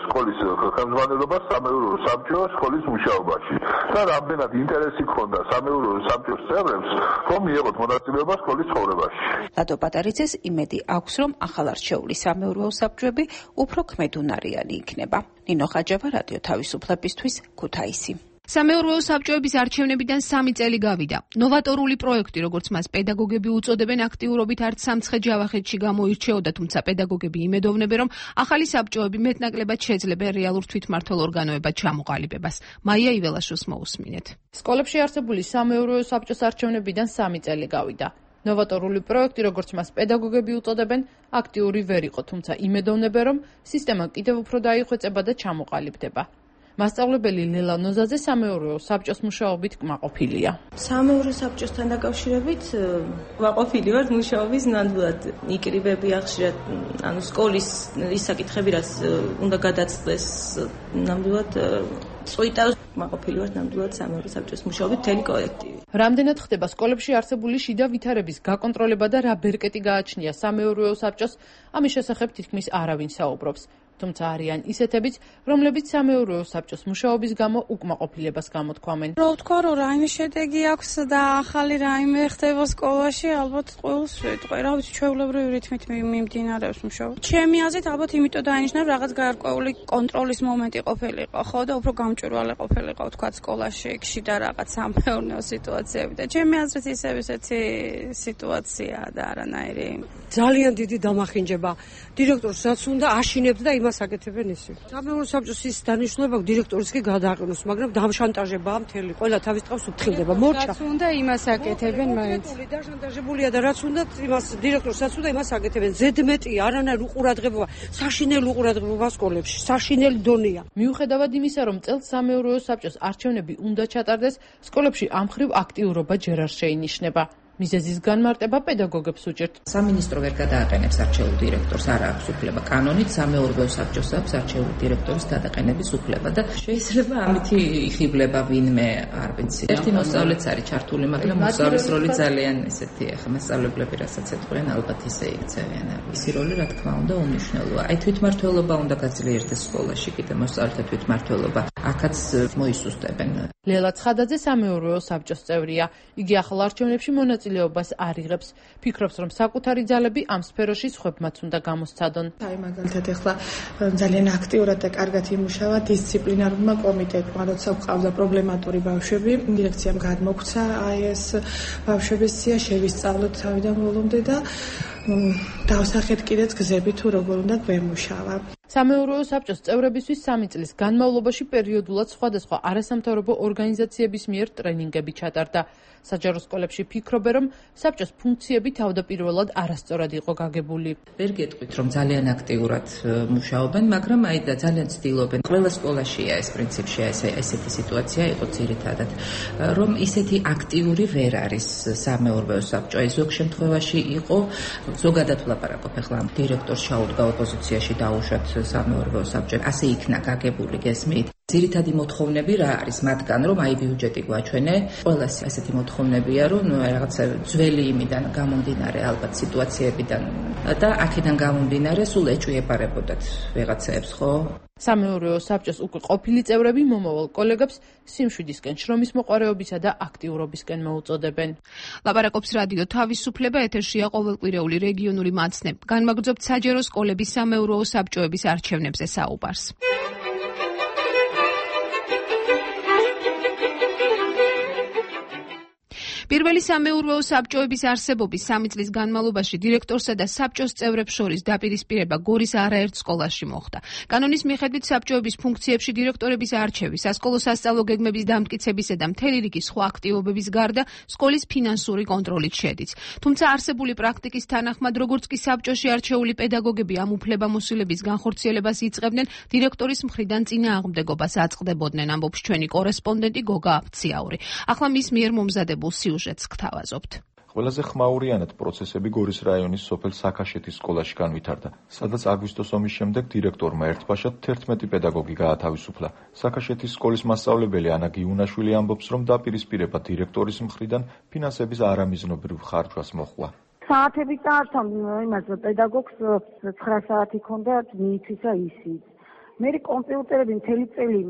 Speaker 23: სკოლის ხელმძღვანელობა მონაწილეობას სამეურვეო საბჭოს სკოლის მუშაობაში და რამდენად ინტერესი ჰქონდა სამეურვეო საბჭოს წევრებს, რომ მიეღოთ მონაწილეობა სკოლის ცხოვრებაში.
Speaker 22: ლადო პატარიძეს იმედი აქვს, რომ ახალარჩეული სამეურვეო საბჭოები უფრო ქმედუნარიანი იქნება. ნინო ხაჯავა, რადიო თავისუფლებისთვის, ქუთაისი.
Speaker 21: სამეურვეო საბჭოების არჩევნებიდან 3 წელი გავიდა. ნოვატორული პროექტი, როგორც მას პედაგოგები უწოდებენ, აქტიურობით არც სამცხე ჯავახეთში გამოირჩეოდა, თუმცა პედაგოგები იმედოვნებენ, რომ ახალი საბჭოები მეტნაკლებად შეძლებენ რეალურ თვითმმართველ ორგანოებად ჩამოყალიბებას. მაია იველაშვილს მოусმინეთ.
Speaker 6: სკოლებში არსებული სამეურვეო საბჭოს არჩევნებიდან 3 წელი გავიდა. ნოვატორული პროექტი, როგორც მას პედაგოგები უწოდებენ, აქტიური ვერ იყო, თუმცა იმედოვნებენ, რომ სისტემა კიდევ უფრო დაიხვეწება და ჩამოყალიბდება. მასწავლებელი ლელა ნოზაძე სამეურვეო საბჭოს მუშაობით კმაყოფილია.
Speaker 7: სამეურვეო საბჭოსთან დაკავშირებით კმაყოფილი ვარ მუშაობის ნამდვილად იკრიბებია ხშირად, ანუ სკოლის ის საკითხები, რაც უნდა გადაწყვეს, ნამდვილად წვიტავს. კმაყოფილი ვარ ნამდვილად სამეურვეო საბჭოს მუშაობით მთელი კოლექტივი.
Speaker 6: რამდენად ხდება სკოლებში არსებული შიდა ვითარების გაკონტროლება და რა ბერკეტი გააჩნია სამეურვეო საბჭოს, ამის შესახებ თითქმის არავინ საუბრობს. თუმცა არიან ისეთებიც, რომლებიც სამეურვეო საბჭოს მუშაობის გამო უკმაყოფილებას გამოთქვამენ.
Speaker 9: რა ვთქვა, რომ რაიმე შედეგი აქვს და ახალი რაიმე ხდება სკოლაში, ალბათ ყოველს ვეტყვი, რა ვიცი, ჩვეულებრივი რითმით მიმდინარეობს მუშაობა. ჩემი აზრით, ალბათ იმიტომ დაინიშნა, რომ რაღაც გარკვეული კონტროლის მომენტი ყოფილიყო, ხო და უფრო გამჭვირვალე ყოფილიყო, ვთქვა, სკოლაში შიდა რაღაც სამეურნეო სიტუაციები და ჩემი აზრით ისევ ისეთი სიტუაციაა და არანაირი.
Speaker 10: ძალიან დიდი დამახინჯება. დირექტორს რაც უნდა აშინებდა და იმას აკეთებენ ისე. სამეურვეო საბჭოს ის დანიშნულება დირექტორის კი გადააყენოს, მაგრამ დამშანტაჟებაა მთელი. ყველა თავის თავს უფრთხილდება. მორჩა.
Speaker 9: რაც უნდა იმას აკეთებენ მაინც.
Speaker 10: დაშანტაჟებულია და რაც უნდა იმას დირექტორს რაც უნდა იმას აკეთებენ. ზედმეტი არანაირ უყურადღებობა, საშინელი უყურადღებობა სკოლებში, საშინელი დონეა.
Speaker 6: მიუხედავად იმისა, რომ წელს სამეურვეო საბჭოს არჩევნები უნდა ჩატარდეს, სკოლებში ამ მხრივ აქტიურობა ჯერ არ შეინიშნება. მიზეზის განმარტება პედაგოგებს უჭერთ.
Speaker 11: სამინისტრო ვერ გადააყენებს არჩეულ დირექტორს, არ აქვს უფლება. კანონით სამეურვეო საბჭოს აქვს არჩეული დირექტორის გადაყენების უფლება და შეიძლება ამითი იხიბლება ვინმე, არ ვიცი. ერთი მოსწავლეც არის ჩართული, მაგრამ მოსწავლის როლი ძალიან ესეთი, ახლა მასწავლებლები რასაც ეთქვენ, ალბათ ისე იქცევიან. ისი როლი, რა თქმა უნდა, უმნიშვნელოა. აი თვითმმართველობა უნდა გაძლიერდეს სკოლაში, კიდე მოსწავლეთა თვითმმართველობა. აქაც მოისუსტებენ.
Speaker 6: ლელა ცხადაძე სამეურვეო საბჭოს წევრია. იგი ახალ არჩევნებში მონაწილეობას არ იღებს. ფიქრობს, რომ საკუთარი ძალები ამ სფეროში სხვებმაც უნდა გამოსცადონ.
Speaker 26: აი მაგალითად ახლა ძალიან აქტიურად და კარგად იმუშავა დისციპლინარულმა კომიტეტმა, როცა გვყავდა პრობლემატური ბავშვები, დირექციამ გადმოგვცა აი ეს ბავშვების სია შევისწავლოთ თავიდან ბოლომდე და დავსახეთ კიდეც გზები თუ როგორ უნდა გვემუშავა.
Speaker 6: სამეურვეო საბჭოს წევრებისთვის 3 წლის განმავლობაში პერიოდულად სხვადასხვა არასამთავრობო ორგანიზაციების მიერ ტრენინგები ჩატარდა. საჯარო სკოლებში ფიქრობენ, რომ საბჭოს ფუნქციები თავდაპირველად არასწორად იყო გაგებული.
Speaker 11: ვერ გეტყვით, რომ ძალიან აქტიურად მუშაობენ, მაგრამ აი და ძალიან ცდილობენ. ყველა სკოლაშია ეს პრინციპში ესეთი სიტუაცია იყო ძირითადად, რომ ისეთი აქტიური ვერ არის სამეურვეო საბჭო. აი ზოგ შემთხვევაში იყო, ზოგადად ვლაპარაკობ ახლა დირექტორს ჩაუდგა ოპოზიციაში დაუშვათ სამეურვეო საბჭო. ასე იქნა გაგებული გესმით. ძირითადი მოთხოვნები რა არის მათგან, რომ აი ბიუჯეტი გვაჩვენე, ყველა ასეთი მოთხოვნებია, რომ რაღაცა ძველი იმიდან გამომდინარე ალბათ სიტუაციებიდან და აქედან გამომდინარე სულ ეჭვიებარებოდათ ვიღაცებს, ხო?
Speaker 6: სამეურვეო საბჭოს უკვე ყოფილი წევრები მომავალ კოლეგებს სიმშვიდისკენ, შრომის მოყვარეობისა და აქტიურობისკენ მოუწოდებენ. ლაპარაკობს რადიო თავისუფლება, ეთერშია ყოველკვირეული რეგიონული მაცნე. განმაგრძობთ საჯარო სკოლების სამეურვეო საბჭოების არჩევნებზე საუბარს. პირველი სამეურვეო საბჭოების არსებობის 3 წლის განმავლობაში დირექტორსა და საბჭოს წევრებს შორის დაპირისპირება გორის არაერთ სკოლაში მოხდა. კანონის მიხედვით საბჭოების ფუნქციებში დირექტორების არჩევის, სასკოლო სასწავლო გეგმების დამტკიცებისა და მთელი რიგი სხვა აქტივობების გარდა სკოლის ფინანსური კონტროლით შედის. თუმცა არსებული პრაქტიკის თანახმად, როგორც კი საბჭოში არჩეული პედაგოგები ამ უფლებამოსილების განხორციელებას იწყებდნენ, დირექტორის მხრიდან წინააღმდეგობას აწყდებოდნენ, ამბობს ჩვენი კორესპონდენტი გოგა აფციაური. ახლა მის მიერ მომზადებულ სიუჟეტს გთავაზობთ.
Speaker 27: ყველაზე ხმაურიანად პროცესები გორის რაიონის სოფელ საქაშეთის სკოლაში განვითარდა, სადაც აგვისტოს ომის შემდეგ დირექტორმა ერთბაშად 11 პედაგოგი გაათავისუფლა. საქაშეთის სკოლის მასწავლებელი ანა გიუნაშვილი ამბობს, რომ დაპირისპირება დირექტორის მხრიდან ფინანსების არამიზნობრივ ხარჯვას მოჰყვა.
Speaker 28: საათები წაართვა იმას პედაგოგს 9 საათი ქონდა მიიცისა ისიც.
Speaker 4: მე კომპიუტერები მთელი წელი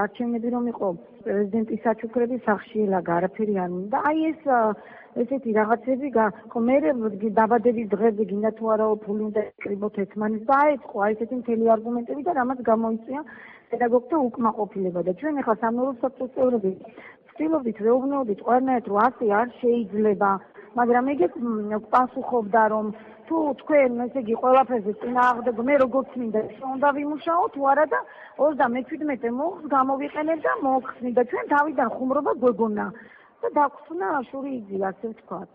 Speaker 4: არჩევნები რომ იყო პრეზიდენტის საჩუქრების სახში ელაგ არაფერი არ მინდა. აი ესეთი რაღაცები ხო მე დაბადების დღეზე გინდა თუ არა ფული უნდა ეკრიბოთ ერთმანეთს და აეწყო აი ესეთი მთელი არგუმენტები და რამაც გამოიწვია პედაგოგთა უკმაყოფილება და ჩვენ ახლა სამეურვეო საბჭოს წევრები ვცდილობდით ვეუბნეოდით ყველანაირად რომ ასე არ შეიძლება, მაგრამ ეგეც პასუხობდა რომ თუ თქვენ ესე იგი ყველაფერზე წინააღმდეგ მე როგორც მინდა უნდა ვიმუშაო თუ არა და 37 მოხს გამოვიყენებ და მოხსნი და ჩვენ თავიდან ხუმრობა გვეგონა და დაგვხსნა შური იგზი ასე ვთქვათ.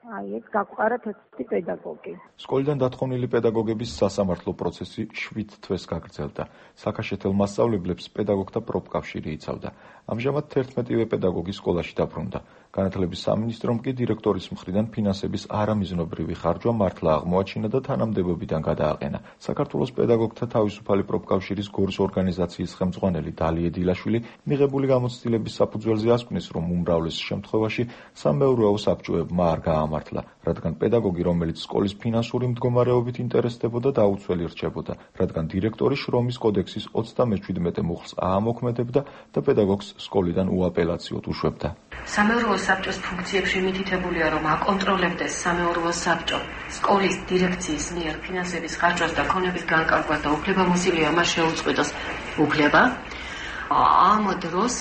Speaker 4: აი ეს გაგვყარა თეთრი პედაგოგი.
Speaker 27: სკოლიდან დათხოვნილი პედაგოგების სასამართლო პროცესი 7 თვეს გაგრძელდა. საქაშეთელ მასწავლებლებს პედაგოგთა პროფკავშირი იცავდა. ამჟამად 11-ვე პედაგოგი სკოლაში დაბრუნდა. განათლების სამინისტრომ კი დირექტორის მხრიდან ფინანსების არამიზნობრივი ხარჯვა მართლა აღმოაჩინა და თანამდებობიდან გადააყენა. საქართველოს პედაგოგთა თავისუფალი პროფკავშირის გორის ორგანიზაციის ხელმძღვანელი დალია დილაშვილი მიღებული გამოცდილების საფუძველზე ასკვნის, რომ უმრავლეს შემთხვევაში სამეურვეო საბჭოებმა არ გაამართლა, რადგან პედაგოგი, რომელიც სკოლის ფინანსური მდგომარეობით ინტერესდებოდა, დაუცველი რჩებოდა, რადგან დირექტორი შრომის კოდექსის 37 მუხლს აამოქმედებდა და პედაგოგს სკოლიდან უაპელაციოდ უშვებდა.
Speaker 8: სამეურვეო საბჭოს ფუნქციებში მითითებულია, რომ აკონტროლებდეს სამეურვეო საბჭო სკოლის დირექციის მიერ ფინანსების ხარჯვას და ქონების განკარგვას და უფლებამოსილია მას შეუწყვეტოს უფლება. ამ დროს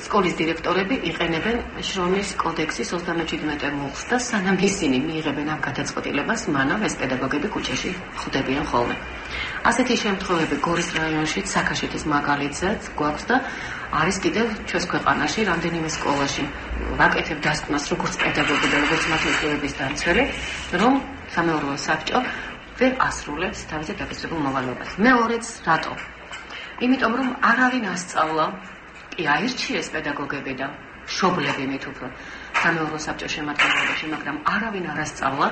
Speaker 8: სკოლის დირექტორები იყენებენ შრომის კოდექსის 37 მუხლს და სანამ ისინი მიიღებენ ამ გადაწყვეტილებას, მანამ ეს პედაგოგები ქუჩაში ხვდებიან ხოლმე. ასეთი შემთხვევები გორის რაიონში საქაშეთის მაგალითზეც გვაქვს და არის კიდევ ჩვენს ქვეყანაში რამდენიმე სკოლაში. ვაკეთებ დასკვნას როგორც პედაგოგი და როგორც მათლობის დამცველი, რომ სამეურვეო საბჭო ვერ ასრულებს თავისი დაკისრებულ მოვალეობას. მეორეც რატო? იმიტომ რომ არავინ ასწავლა, კი აირჩიეს პედაგოგები და მშობლები მით უფრო სამეურვეო საბჭოს შემადგენლობაში, მაგრამ არავინ არ ასწავლა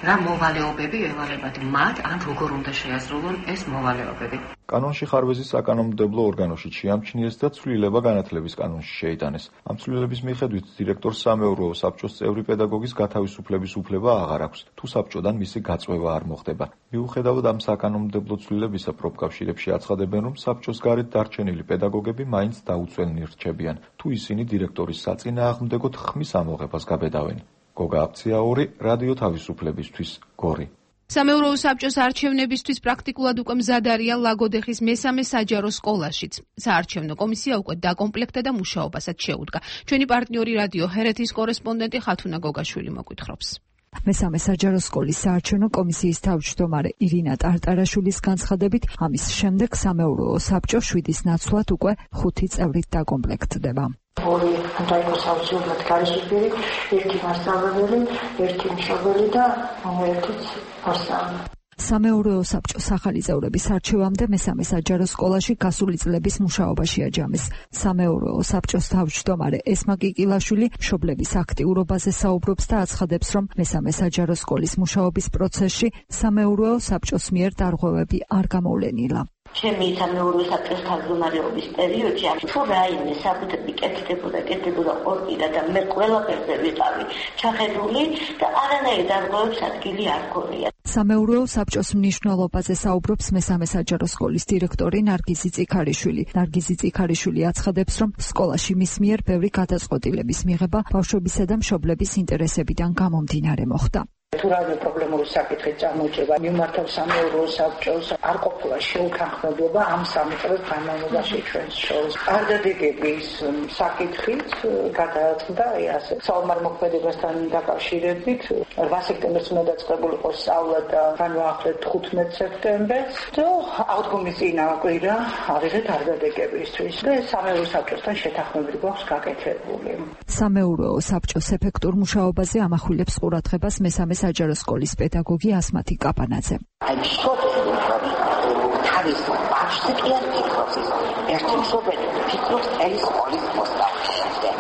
Speaker 8: რა მოვალეობები ევალებათ მათ, ან როგორ უნდა შეასრულონ ეს მოვალეობები.
Speaker 27: კანონში ხარვეზის საკანონმდებლო ორგანოში შეამჩნიეს და ცვლილება განათლების კანონში შეიტანეს. ამ ცვლილების მიხედვით დირექტორს სამეურვეო საბჭოს წევრი პედაგოგის გათავისუფლების უფლება აღარ აქვს, თუ საბჭოდან მისი გაწვევა არ მოხდება. მიუხედავად ამ საკანონმდებლო ცვლილებისა, პროფკავშირებში აცხადებენ, რომ საბჭოს გარეთ დარჩენილი პედაგოგები მაინც დაუცველნი რჩებიან, თუ ისინი დირექტორის საწინააღმდეგოდ ხმის ამოღებას გაბედავენ. გოგა აფციაური, რადიო თავისუფლებისთვის, გორი.
Speaker 21: სამეურვეო საბჭოს არჩევნებისთვის პრაქტიკულად უკვე მზად არიან ლაგოდეხის მესამე საჯარო სკოლაშიც. საარჩევნო კომისია უკვე დაკომპლექტდა და მუშაობასაც შეუდგა. ჩვენი პარტნიორი რადიო ჰერეთის კორესპონდენტი ხათუნა გოგაშვილი მოგვითხრობს.
Speaker 12: მესამე საჯარო სკოლის საარჩევნო კომისიის თავმჯდომარე ირინა ტარტარაშვილის განცხადებით, ამის შემდეგ სამეურვეო საბჭო 7-ის ნაცვლად უკვე 5 წევრით დაკომპლექტდება.
Speaker 13: ორი უნდა იყოს აუცილებლად გარშემო, ერთი მასწავლებელი, ერთი მშობელი და ერთიც მოსწავლე.
Speaker 12: სამეურვეო საბჭოს ახალი წევრების არჩევამდე მესამე საჯარო სკოლაში გასული წლების მუშაობაში აჯამეს. სამეურვეო საბჭოს თავმჯდომარე ესმა კიკილაშვილი მშობლების აქტიურობაზე საუბრობს და აცხადებს, რომ მესამე საჯარო სკოლის მუშაობის პროცესში სამეურვეო საბჭოს მიერ დარღვევები არ გამოვლენილა.
Speaker 13: ჩემი სამეურვეო საბჭოს თავმჯდომარეობის პერიოდში თუ რაიმე საკუთრები კეთდებოდა ყორტიდა და მე ყველაფერზე ვიყავი ჩახედული და არანაირი დარღვევების ადგილი არ გქონია.
Speaker 12: სამეურვეო საბჭოს მნიშვნელობაზე საუბრობს მესამე საჯარო სკოლის დირექტორი ნარგიზი წიქარიშვილი. ნარგიზი წიქარიშვილი აცხადებს, რომ სკოლაში მის მიერ ბევრი გადაწყვეტილების მიღება ბავშვებისა და მშობლების ინტერესებიდან გამომდინარე მოხდა.
Speaker 13: თუ რაიმე პრობლემური საკითხი წამოჭრება, მიმართავ სამეურვეო საბჭოს არ ყოფილა შეუთანხმებლობა ამ 3 წლის განმავლობაში ჩვენს შორის. არდადეგების საკითხით გადაწყდა ასე საომარ-მოქმედებასთან დაკავშირებით 8 სექტემბერს უნდა დაწყებული იყოს სწავლა და განვაახლეთ 15 სექტემბერს და აღდგომის წინაკვირა ავიღეთ არდადეგებისთვის და სამეურვეო საბჭოსთან შეთანხმებული გვაქვს გაკეთებული.
Speaker 12: სამეურვეო საბჭოს ეფექტურ მუშაობაზე ამახვილებს ყურადღებას მესამე საჯარო სკოლის პედაგოგი ასმათი კაპანაძე.
Speaker 13: აი მშობელი თავის ბავშვზე კი არ ფიქრობს, ერთი მშობელი ფიქრობს ელის სკოლის მოსწავლეებზე.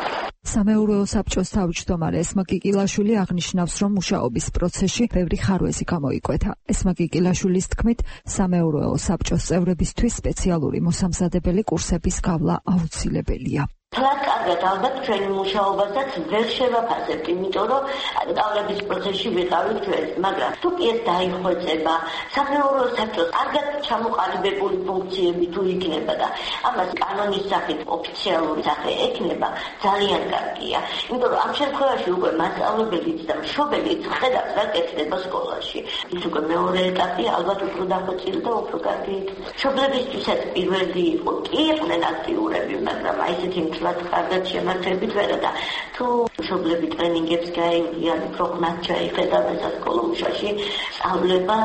Speaker 12: სამეურვეო საბჭოს თავმჯდომარე ესმა კიკილაშვილი აღნიშნავს, რომ მუშაობის პროცესში ბევრი ხარვეზი გამოიკვეთა. ესმა კიკილაშვილის თქმით, სამეურვეო საბჭოს წევრებისთვის სპეციალური მოსამზადებელი კურსების გავლა აუცილებელია.
Speaker 3: თლად კარგად ალბათ ჩვენი მუშაობასაც ვერ შევაფასებთ, იმიტომ რომ სწავლების პროცესში ვიყავით ჩვენ, მაგრამ თუ კი ეს დაიხვეწება, სამეურვეო საბჭოს კარგად ჩამოყალიბებული ფუნქციები თუ იქნება და ამას კანონის სახით ოფიციალური სახე ექნება, ძალიან კარგია. იმიტომ რომ ამ შემთხვევაში უკვე მასწავლებელიც და მშობელიც ხედავს რა კეთდება სკოლაში. ის უკვე მეორე ეტაპი ალბათ უფრო დახვეწილი და უფრო კარგი. მშობლებისთვისაც პირველი იყო, კი იყვნენ აქტიურები, მაგრამ აი ესეთი მთლად კარგად შემართებით ვერა და თუ მშობლები ტრენინგებს გაივლიან, უფრო ხმად ჩაიხედავენ სასკოლო მუშაში, სწავლება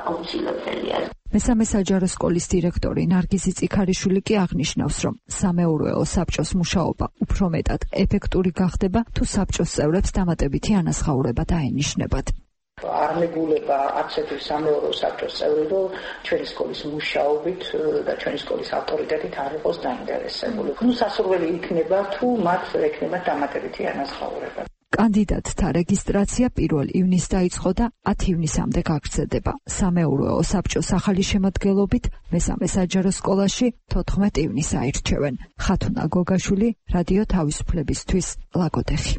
Speaker 3: აუცილებელია.
Speaker 12: მესამე საჯარო სკოლის დირექტორი ნარგიზი წიქარიშვილი კი აღნიშნავს, რომ სამეურვეო საბჭოს მუშაობა უფრო მეტად ეფექტური გახდება, თუ საბჭოს წევრებს დამატებითი ანაზღაურება დაენიშნებათ.
Speaker 13: არ მეგულება არც ერთი სამეურვეო საბჭოს წევრი, რომ ჩვენი სკოლის მუშაობით და ჩვენი სკოლის ავტორიტეტით არ იყოს დაინტერესებული. ნუ სასურველი იქნება, თუ მათ ექნება დამატებითი ანაზღაურება.
Speaker 12: კანდიდატთა რეგისტრაცია 1 ივნისს დაიწყო და 10 ივნისამდე გაგრძელდება. სამეურვეო საბჭოს ახალი შემადგენლობით მესამე საჯარო სკოლაში 14 ივნისს აირჩევენ. ხათუნა გოგაშვილი, რადიო თავისუფლებისთვის, ლაგოდეხი.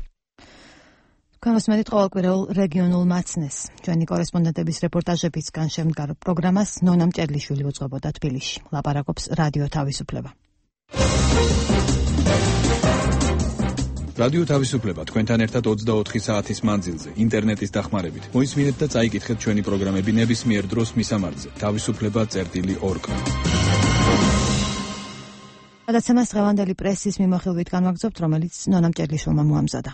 Speaker 1: გამოსმენით ყოველკვირეულ რეგიონულ მაცნეს. ჩვენი კორესპონდენტების რეპორტაჟებისგან შემდგარ პროგრამას ნონა მჭედლიშვილი უძღვებოდა თბილისში. ლაპარაკობს რადიო თავისუფლება.
Speaker 5: რადიო თავისუფლება თქვენთან ერთად 24 საათის მანძილზე ინტერნეტის დახმარებით. მოისმინეთ და წაიკითხეთ ჩვენი პროგრამები ნებისმიერ დროს მისამართზე. თავისუფლება.org.
Speaker 1: გადაცემას დღევანდელი პრესის მიმოხილვით განვაგრძობთ, რომელიც ნონა მჭედლიშვილმა მოამზადა.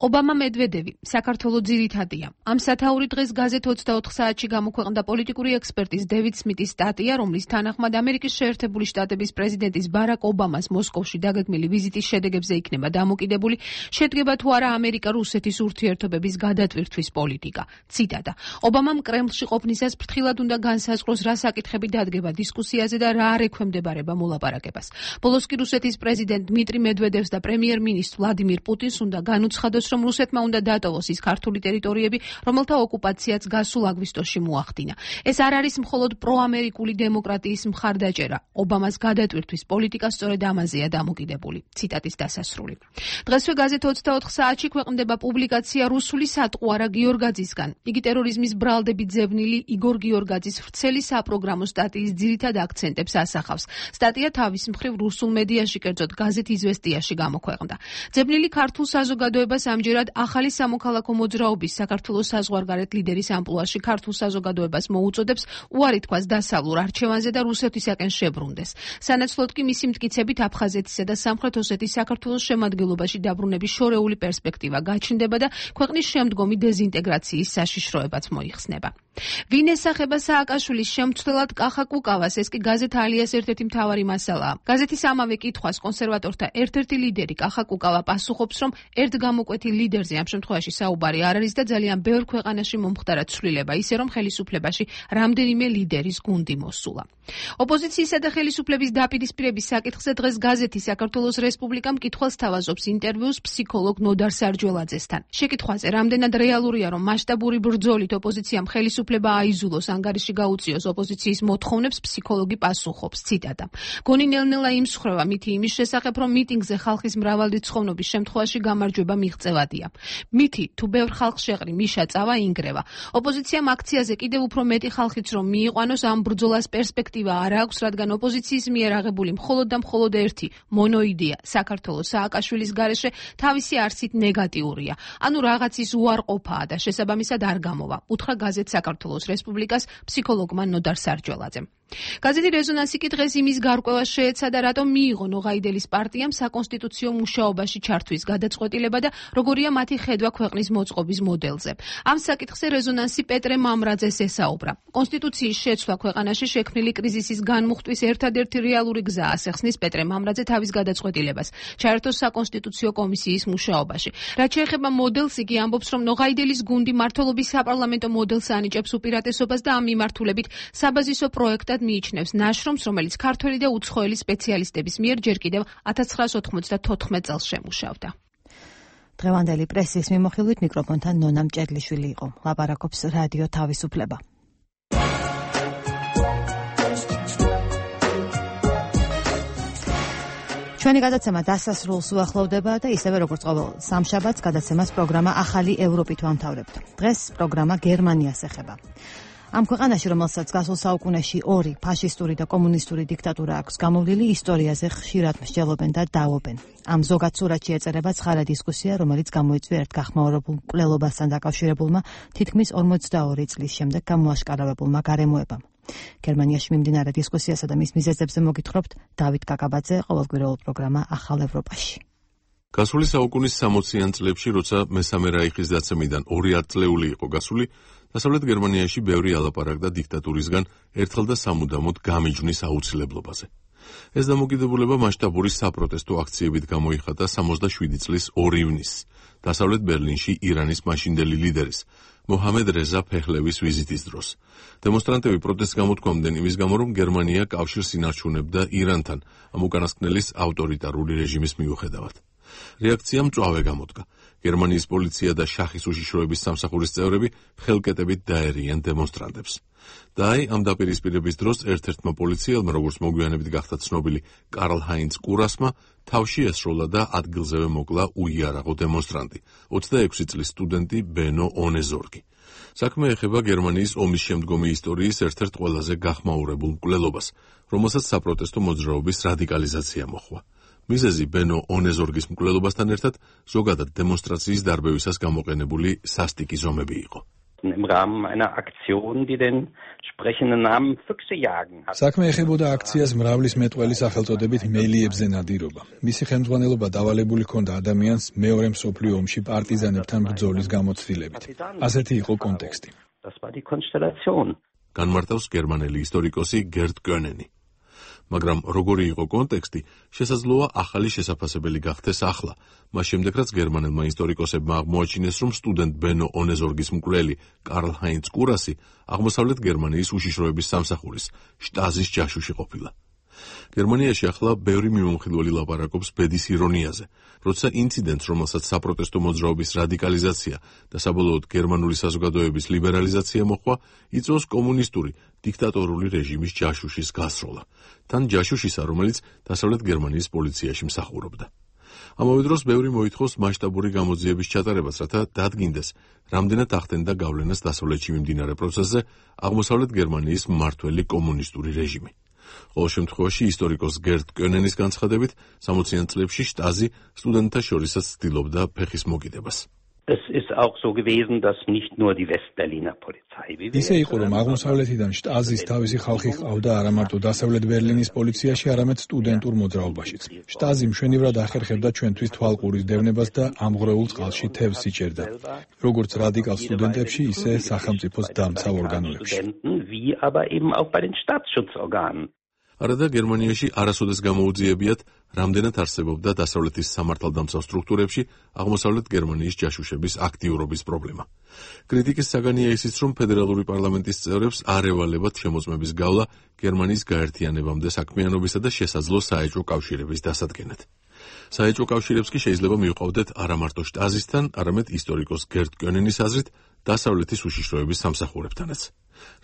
Speaker 21: ობამა მედვედევი საქართველოს ძირითადია. ამ სათაური დღეს გაზეთ 24 საათში გამოქვეყნდა პოლიტიკური ექსპერტის დევიდ სმიტის სტატია, რომლის თანახმად ამერიკის შეერთებული შტატების პრეზიდენტის ბარაკ ობამას მოსკოვში დაგეგმილი ვიზიტის შედეგებზე იქნება დამოკიდებული, შედგება თუ არა ამერიკა-რუსეთის ურთიერთობების გადატვირთვის პოლიტიკა. ციტატა: ობამამ კრემლში ყოფნისას ფრთხილად უნდა განსაზღვროს, რა საკითხები დადგება დისკუსიაზე და რა არ ექვემდებარება მოლაპარაკებას. ბოლოს კი რუსეთის პრეზიდენტ დმიტრი მედვედევს და პრემიერ-მინისტრ ვლადიმირ პუტინს უნდა განუცხადოს, რომ რუსეთმა უნდა დატოვოს ის ქართული ტერიტორიები, რომელთა ოკუპაციაც გასულ აგვისტოში მოახდინა. ეს არ არის მხოლოდ პროამერიკული დემოკრატიის მხარდაჭერა. ობამას გადატვირთვის პოლიტიკა სწორედ ამაზეა დამოკიდებული. ციტატის დასასრული. დღესვე გაზეთ 24 საათში ქვეყნდება პუბლიკაცია რუსული სატყუარა გიორგაძისგან. იგი ტერორიზმის ბრალდებით ზევნილი იგორ გიორგაძის ვრცელი საპროგრამო სტატიის ძირითად აქცენტებს ასახავს. სტატია თავის მხრივ რუსულ მედიაში, კერძოდ გაზეთ იზვესტიაში გამოქვეყნდა. ზევნილი ქართულ საზოგადოებას ამჯერად ახალი სამოქალაქო მოძრაობის საქართველოს საზღვარგარეთ ლიდერის ამპლუაში ქართულ საზოგადოებას მოუწოდებს უარი თქვას დასავლურ არჩევანზე და რუსეთისაკენ შებრუნდეს. სანაცვლოდ კი მისი მტკიცებით აფხაზეთისა და სამხრეთ ოსეთის საქართველოს შემადგენლობაში დაბრუნების შორეული პერსპექტივა გაჩნდება და ქვეყნის შემდგომი დეზინტეგრაციის საშიშროებაც მოიხსნება. ვინ ესახება სააკაშვილის შემცვლელად კახა კუკავას? ეს კი გაზეთ ალიას ერთ-ერთი მთავარი მასალაა. გაზეთის ამავე კითხვას კონსერვატორთა ერთ-ერთი ლიდერი კახა კუკავა პასუხობს, რომ ერთ გამოკვეთილ ლიდერზე ამ შემთხვევაში საუბარი არ არის და ძალიან ბევრ ქვეყანაში მომხდარა ცვლილება, ისე რომ ხელისუფლებაში რამდენიმე ლიდერის გუნდი მოსულა. ოპოზიციისა და ხელისუფლების დაპირისპირების საკითხზე დღეს გაზეთი საქართველოს რესპუბლიკა მკითხველს თავაზობს ინტერვიუს ფსიქოლოგ ნოდარ სარჯველაძესთან. შეკითხვაზე, რამდენად რეალურია, რომ მასშტაბური ბრძოლით ოპოზიციამ ხელისუფლება აიზულოს, ანგარიში გაუწიოს ოპოზიციის მოთხოვნებს, ფსიქოლოგი პასუხობს, ციტატა: გონი ნელ-ნელა იმსხრევა მითი იმის შესახებ, რომ მიტინგზე ხალხის მრავალრიცხოვნობის შემთხვევაში გამარჯვება მიღწევადია. მითი თუ ბევრ ხალხს შეყრი მიშა წავა ინგრევა. ოპოზიციამ აქციაზე კიდევ უფრო მეტი ხალხიც რომ მიიყვანოს, ამ ბრძოლას პერსპექტივა არ აქვს, რადგან ოპოზიციის მიერ აღებული მხოლოდ და მხოლოდ ერთი მონოიდეა საქართველოს სააკაშვილის გარეშე თავისი არსით ნეგატიურია. ანუ რაღაცის უარყოფაა და შესაბამისად არ გამოვა. უთხრა გაზეთ საქართველოს რესპუბლიკას ფსიქოლოგმა ნოდარ სარჯველაძემ. გაზეთი რეზონანსი კი დღეს იმის გარკვევას შეეცადა, რატომ მიიღო ნოღაიდელის პარტიამ საკონსტიტუციო მუშაობაში ჩართვის გადაწყვეტილება და როგორია მათი ხედვა ქვეყნის მოწყობის მოდელზე. ამ საკითხზე რეზონანსი პეტრე მამრაძეს ესაუბრა. კონსტიტუციის შეცვლა ქვეყანაში შექმნილი კრიზისის განმუხტვის ერთადერთი რეალური გზა, ასახსნის პეტრე მამრაძე თავის გადაწყვეტილებას, ჩაერთოს საკონსტიტუციო კომისიის მუშაობაში. რაც შეეხება მოდელს, იგი ამბობს, რომ ნოღაიდელის გუნდი მმართველობის საპარლამენტო მოდელს ანიჭებს უპირატესობას და ამ მიმართულებით საბაზისო პროექტად მიიჩნევს ნაშრომს, რომელიც ქართველი და უცხოელი სპეციალისტების მიერ ჯერ კიდევ 1994 წელს შემუშავდა.
Speaker 1: დღევანდელი პრესის მიმოხილვით მიკროფონთან ნონა მჭედლიშვილი იყო. ლაპარაკობს რადიო თავისუფლება. ჩვენი გადაცემა დასასრულს უახლოვდება და ისევე როგორც ყოველ სამშაბათს გადაცემას პროგრამა ახალი ევროპით ვამთავრებთ. დღეს პროგრამა გერმანიას ეხება. ამ ქვეყანაში, რომელსაც გასულ საუკუნეში ორი ფაშისტური და კომუნისტური დიქტატურა აქვს გამოვლილი, ისტორიაზე ხშირად მსჯელობენ და დაობენ. ამ ზოგად სურათში ეწერება ცხარა დისკუსია, რომელიც გამოიწვია ერთ გახმაურებულ მკვლელობასთან დაკავშირებულმა თითქმის 42 წლის შემდეგ გამოაშკარავებულმა გარემოებამ. გერმანიაში მიმდინარე დისკუსიასა და მის მიზეზებზე მოგითხრობთ დავით კაკაბაძე, ყოველკვირეულ პროგრამა ახალ ევროპაში.
Speaker 2: გასული საუკუნის 60-იან წლებში, როცა მესამე რაიხის დაცემიდან 2 ათწლეული იყო გასული, დასავლეთ გერმანიაში ბევრი ალაპარაკდა დიქტატურისგან ერთხელ და სამუდამოდ გამიჯვნის აუცილებლობაზე. ეს დამოკიდებულება მასშტაბური საპროტესტო აქციებით გამოიხატა 67 წლის 2 ივნისს, დასავლეთ ბერლინში ირანის მაშინდელი ლიდერის მოჰამედ რეზა ფეხლევის ვიზიტის დროს. დემონსტრანტები პროტესტს გამოთქვამდნენ იმის გამო, რომ გერმანია კავშირს ინარჩუნებდა ირანთან ამ უკანასკნელის ავტორიტარული რეჟიმის მიუხედავად. რეაქცია მწვავე გამოდგა. გერმანიის პოლიცია და შახის უშიშროების სამსახურის წევრები ხელკეტებით დაერიან დემონსტრანტებს. და აი ამ დაპირისპირების დროს ერთ-ერთმა პოლიციელმა, როგორც მოგვიანებით გახდა ცნობილი კარლ ჰაინც კურასმა, თავში ესროლა და ადგილზევე მოკლა უიარაღო დემონსტრანტი, 26 წლის სტუდენტი ბენო ონეზორგი. საქმე ეხება გერმანიის ომის შემდგომი ისტორიის ერთ-ერთ ყველაზე გახმაურებულ მკვლელობას, რომელსაც საპროტესტო მოძრაობის რადიკალიზაცია მოჰყვა. მიზეზი ბენო ონეზორგის მკვლელობასთან ერთად ზოგადად დემონსტრაციის დარბევისას გამოყენებული სასტიკი ზომები იყო.
Speaker 14: Im Rahmen einer Aktion, die den sprechenden Namen Füchse jagen hat.
Speaker 5: საქმე ეხებოდა აქციას მრავლის მეტყველი სახელწოდებით მელიებზე ნადირობა. მისი ხელმძღვანელობა დავალებული ჰქონდა ადამიანს მეორე მსოფლიო ომში პარტიზანებთან ბრძოლის გამოცდილებით. ასეთი იყო კონტექსტი.
Speaker 14: Das war die Konstellation.
Speaker 2: განმარტავს გერმანელი ისტორიკოსი გერტ კონენი. მაგრამ როგორი იყო კონტექსტი, შესაძლოა ახალი შესაძლებელი გახდეს ახლა. მას შემდეგ რაც გერმანელმა ისტორიკოსებმა აღმოაჩინეს, რომ სტუდენტ ბენო ონეზორგის მკვლელი კარლ ჰაინც კურასი აღმოსავლეთ გერმანიის უშიშროების სამსახურის შტაზის ჯაშუში ყოფილა. გერმანიაში ახლა ბევრი მიმომხილველი ლაპარაკობს ბედის ირონიაზე, როცა ინციდენტს, რომელსაც საპროტესტო მოძრაობის რადიკალიზაცია და საბოლოოდ გერმანული საზოგადოების ლიბერალიზაცია მოჰყვა, იწვევს კომუნისტური დიქტატორული რეჟიმის ჯაშუშის გასროლა, თან ჯაშუშისა, რომელიც დასავლეთ გერმანიის პოლიციაში მსახურობდა. ამავე დროს ბევრი მოითხოვს მასშტაბური გამოძიების ჩატარებას, რათა დადგინდეს, რამდენად ახდენდა გავლენას დასავლეთში მიმდინარე პროცესზე აღმოსავლეთ გერმანიის მმართველი კომუნისტური რეჟიმი. ყოველ შემთხვევაში ისტორიკოს გერტ კონენის განცხადებით 60-იან წლებში შტაზი სტუდენტთა შორისაც ცდილობდა ფეხის მოკიდებას.
Speaker 14: Es ist auch so gewesen, dass nicht nur die Westberliner Polizei.
Speaker 5: ისე იყო, რომ აღმოსავლეთიდან შტაზის თავისი ხალხი ყავდა არა მარტო დასავლეთ ბერლინის პოლიციაში, არამედ სტუდენტურ მოძრაობაშიც. შტაზი მშვენივრად ახერხებდა ჩვენთვის თვალყურის დევნებას და ამღვრეულ წყალში თევზს იჭერდა. როგორც რადიკალ სტუდენტებში, ისე სახელმწიფოს დამცავ ორგანოებში.
Speaker 14: Wie aber eben auch bei den Staatsschutzorganen.
Speaker 2: არადა გერმანიაში არასოდეს გამოუძიებიათ, რამდენად არსებობდა დასავლეთის სამართალდამცავ სტრუქტურებში აღმოსავლეთ გერმანიის ჯაშუშების აქტიურობის პრობლემა. კრიტიკის საგანია ისიც, რომ ფედერალური პარლამენტის წევრებს არ ევალებათ შემოწმების გავლა გერმანიის გაერთიანებამდე საქმიანობისა და შესაძლო საეჭვო კავშირების დასადგენად. საეჭვო კავშირებს კი შეიძლება მივყავდეთ არა მარტო შტაზისთან, არამედ ისტორიკოს გერტ კონენის აზრით დასავლეთის უშიშროების სამსახურებთანაც.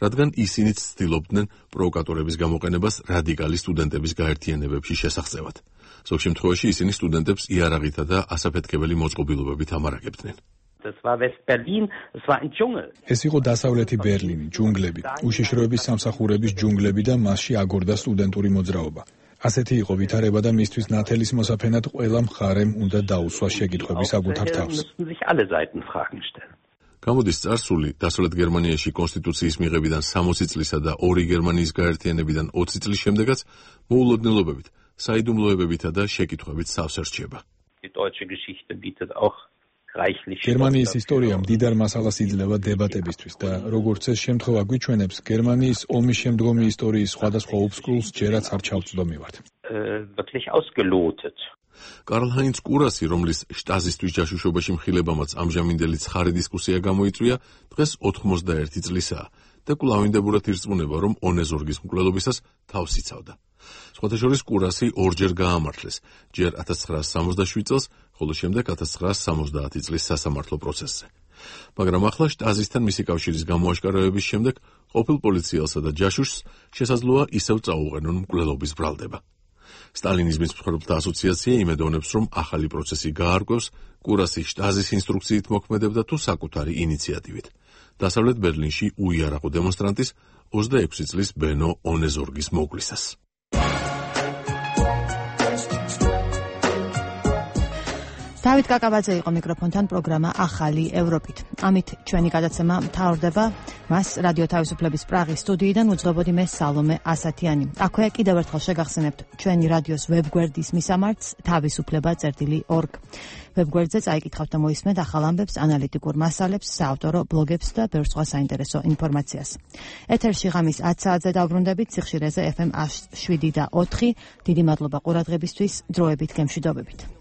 Speaker 2: რადგან ისინიც ცდილობდნენ პროვოკატორების გამოყენებას რადიკალი სტუდენტების გაერთიანებებში შესახწევად. ზოგ შემთხვევაში ისინი სტუდენტებს იარაღითა და ასაფეთქებელი მოწყობილობებით ამარაგებდნენ. ეს იყო დასავლეთი ბერლინი, ჯუნგლები, უშიშროების სამსახურების ჯუნგლები და მასში აგორდა სტუდენტური მოძრაობა. ასეთი იყო ვითარება და მისთვის ნათელის მოსაფენად ყველა მხარემ უნდა დაუსვა შეკითხვები საკუთარ თავს. გამოდის წარსული დასავლეთ გერმანიაში კონსტიტუციის მიღებიდან 60 წლისა და ორი გერმანიის გაერთიანებიდან 20 წლის შემდეგაც მოულოდნელობებით, საიდუმლოებებითა და შეკითხვებით სავს ერჩება. გერმანიის ისტორია მდიდარ მასალას იძლევა დებატებისთვის და როგორც ეს შემთხვევა გვიჩვენებს, გერმანიის ომის შემდგომი ისტორიის სხვადასხვა უბსკულს ჯერაც არ ჩავწვდომივართ. კარლ ჰაინც კურასი, რომლის შტაზისთვის ჯაშუშობაში მხილებამაც ამჟამინდელი ცხარი დისკუსია გამოიწვია, დღეს 91 წლისაა და კვლავინდებურად ირწმუნება, რომ ონეზორგის მკვლელობისას თავს იცავდა. სხვათა შორის კურასი ორჯერ გაამართლეს, ჯერ 1967 წელს, ხოლო შემდეგ 1970 წლის სასამართლო პროცესზე. მაგრამ ახლა შტაზისთან მისი კავშირის გამოაშკარავების შემდეგ ყოფილ პოლიციელსა და ჯაშუშს შესაძლოა ისევ წაუყენონ მკვლელობის ბრალდება. სტალინიზმის მსხვერპლთა ასოციაცია იმედოვნებს, რომ ახალი პროცესი გაარკვევს, კურასი შტაზის ინსტრუქციით მოქმედებდა თუ საკუთარი ინიციატივით. დასავლეთ ბერლინში უიარაღო დემონსტრანტის 26 წლის ბენო ონეზორგის მოვლისას.
Speaker 1: დავით კაკაბაძე იყო მიკროფონთან პროგრამა ახალი ევროპით. ამით ჩვენი გადაცემა მთავრდება. მას რადიო თავისუფლების პრაღის სტუდიიდან უძღვებოდი მე სალომე ასათიანი. აქვე კიდევ ერთხელ შეგახსენებთ ჩვენი რადიოს ვებგვერდის მისამართს თავისუფლება.org. ვებგვერდზე წაიკითხავთ და მოისმენთ ახალ ამბებს, ანალიტიკურ მასალებს, საავტორო ბლოგებს და ბევრ სხვა საინტერესო ინფორმაციას. ეთერში ღამის 10 საათზე დავბრუნდებით სიხშირეზე FM 7 და 4. დიდი მადლობა ყურადღებისთვის, დროებით გემშვიდობებით.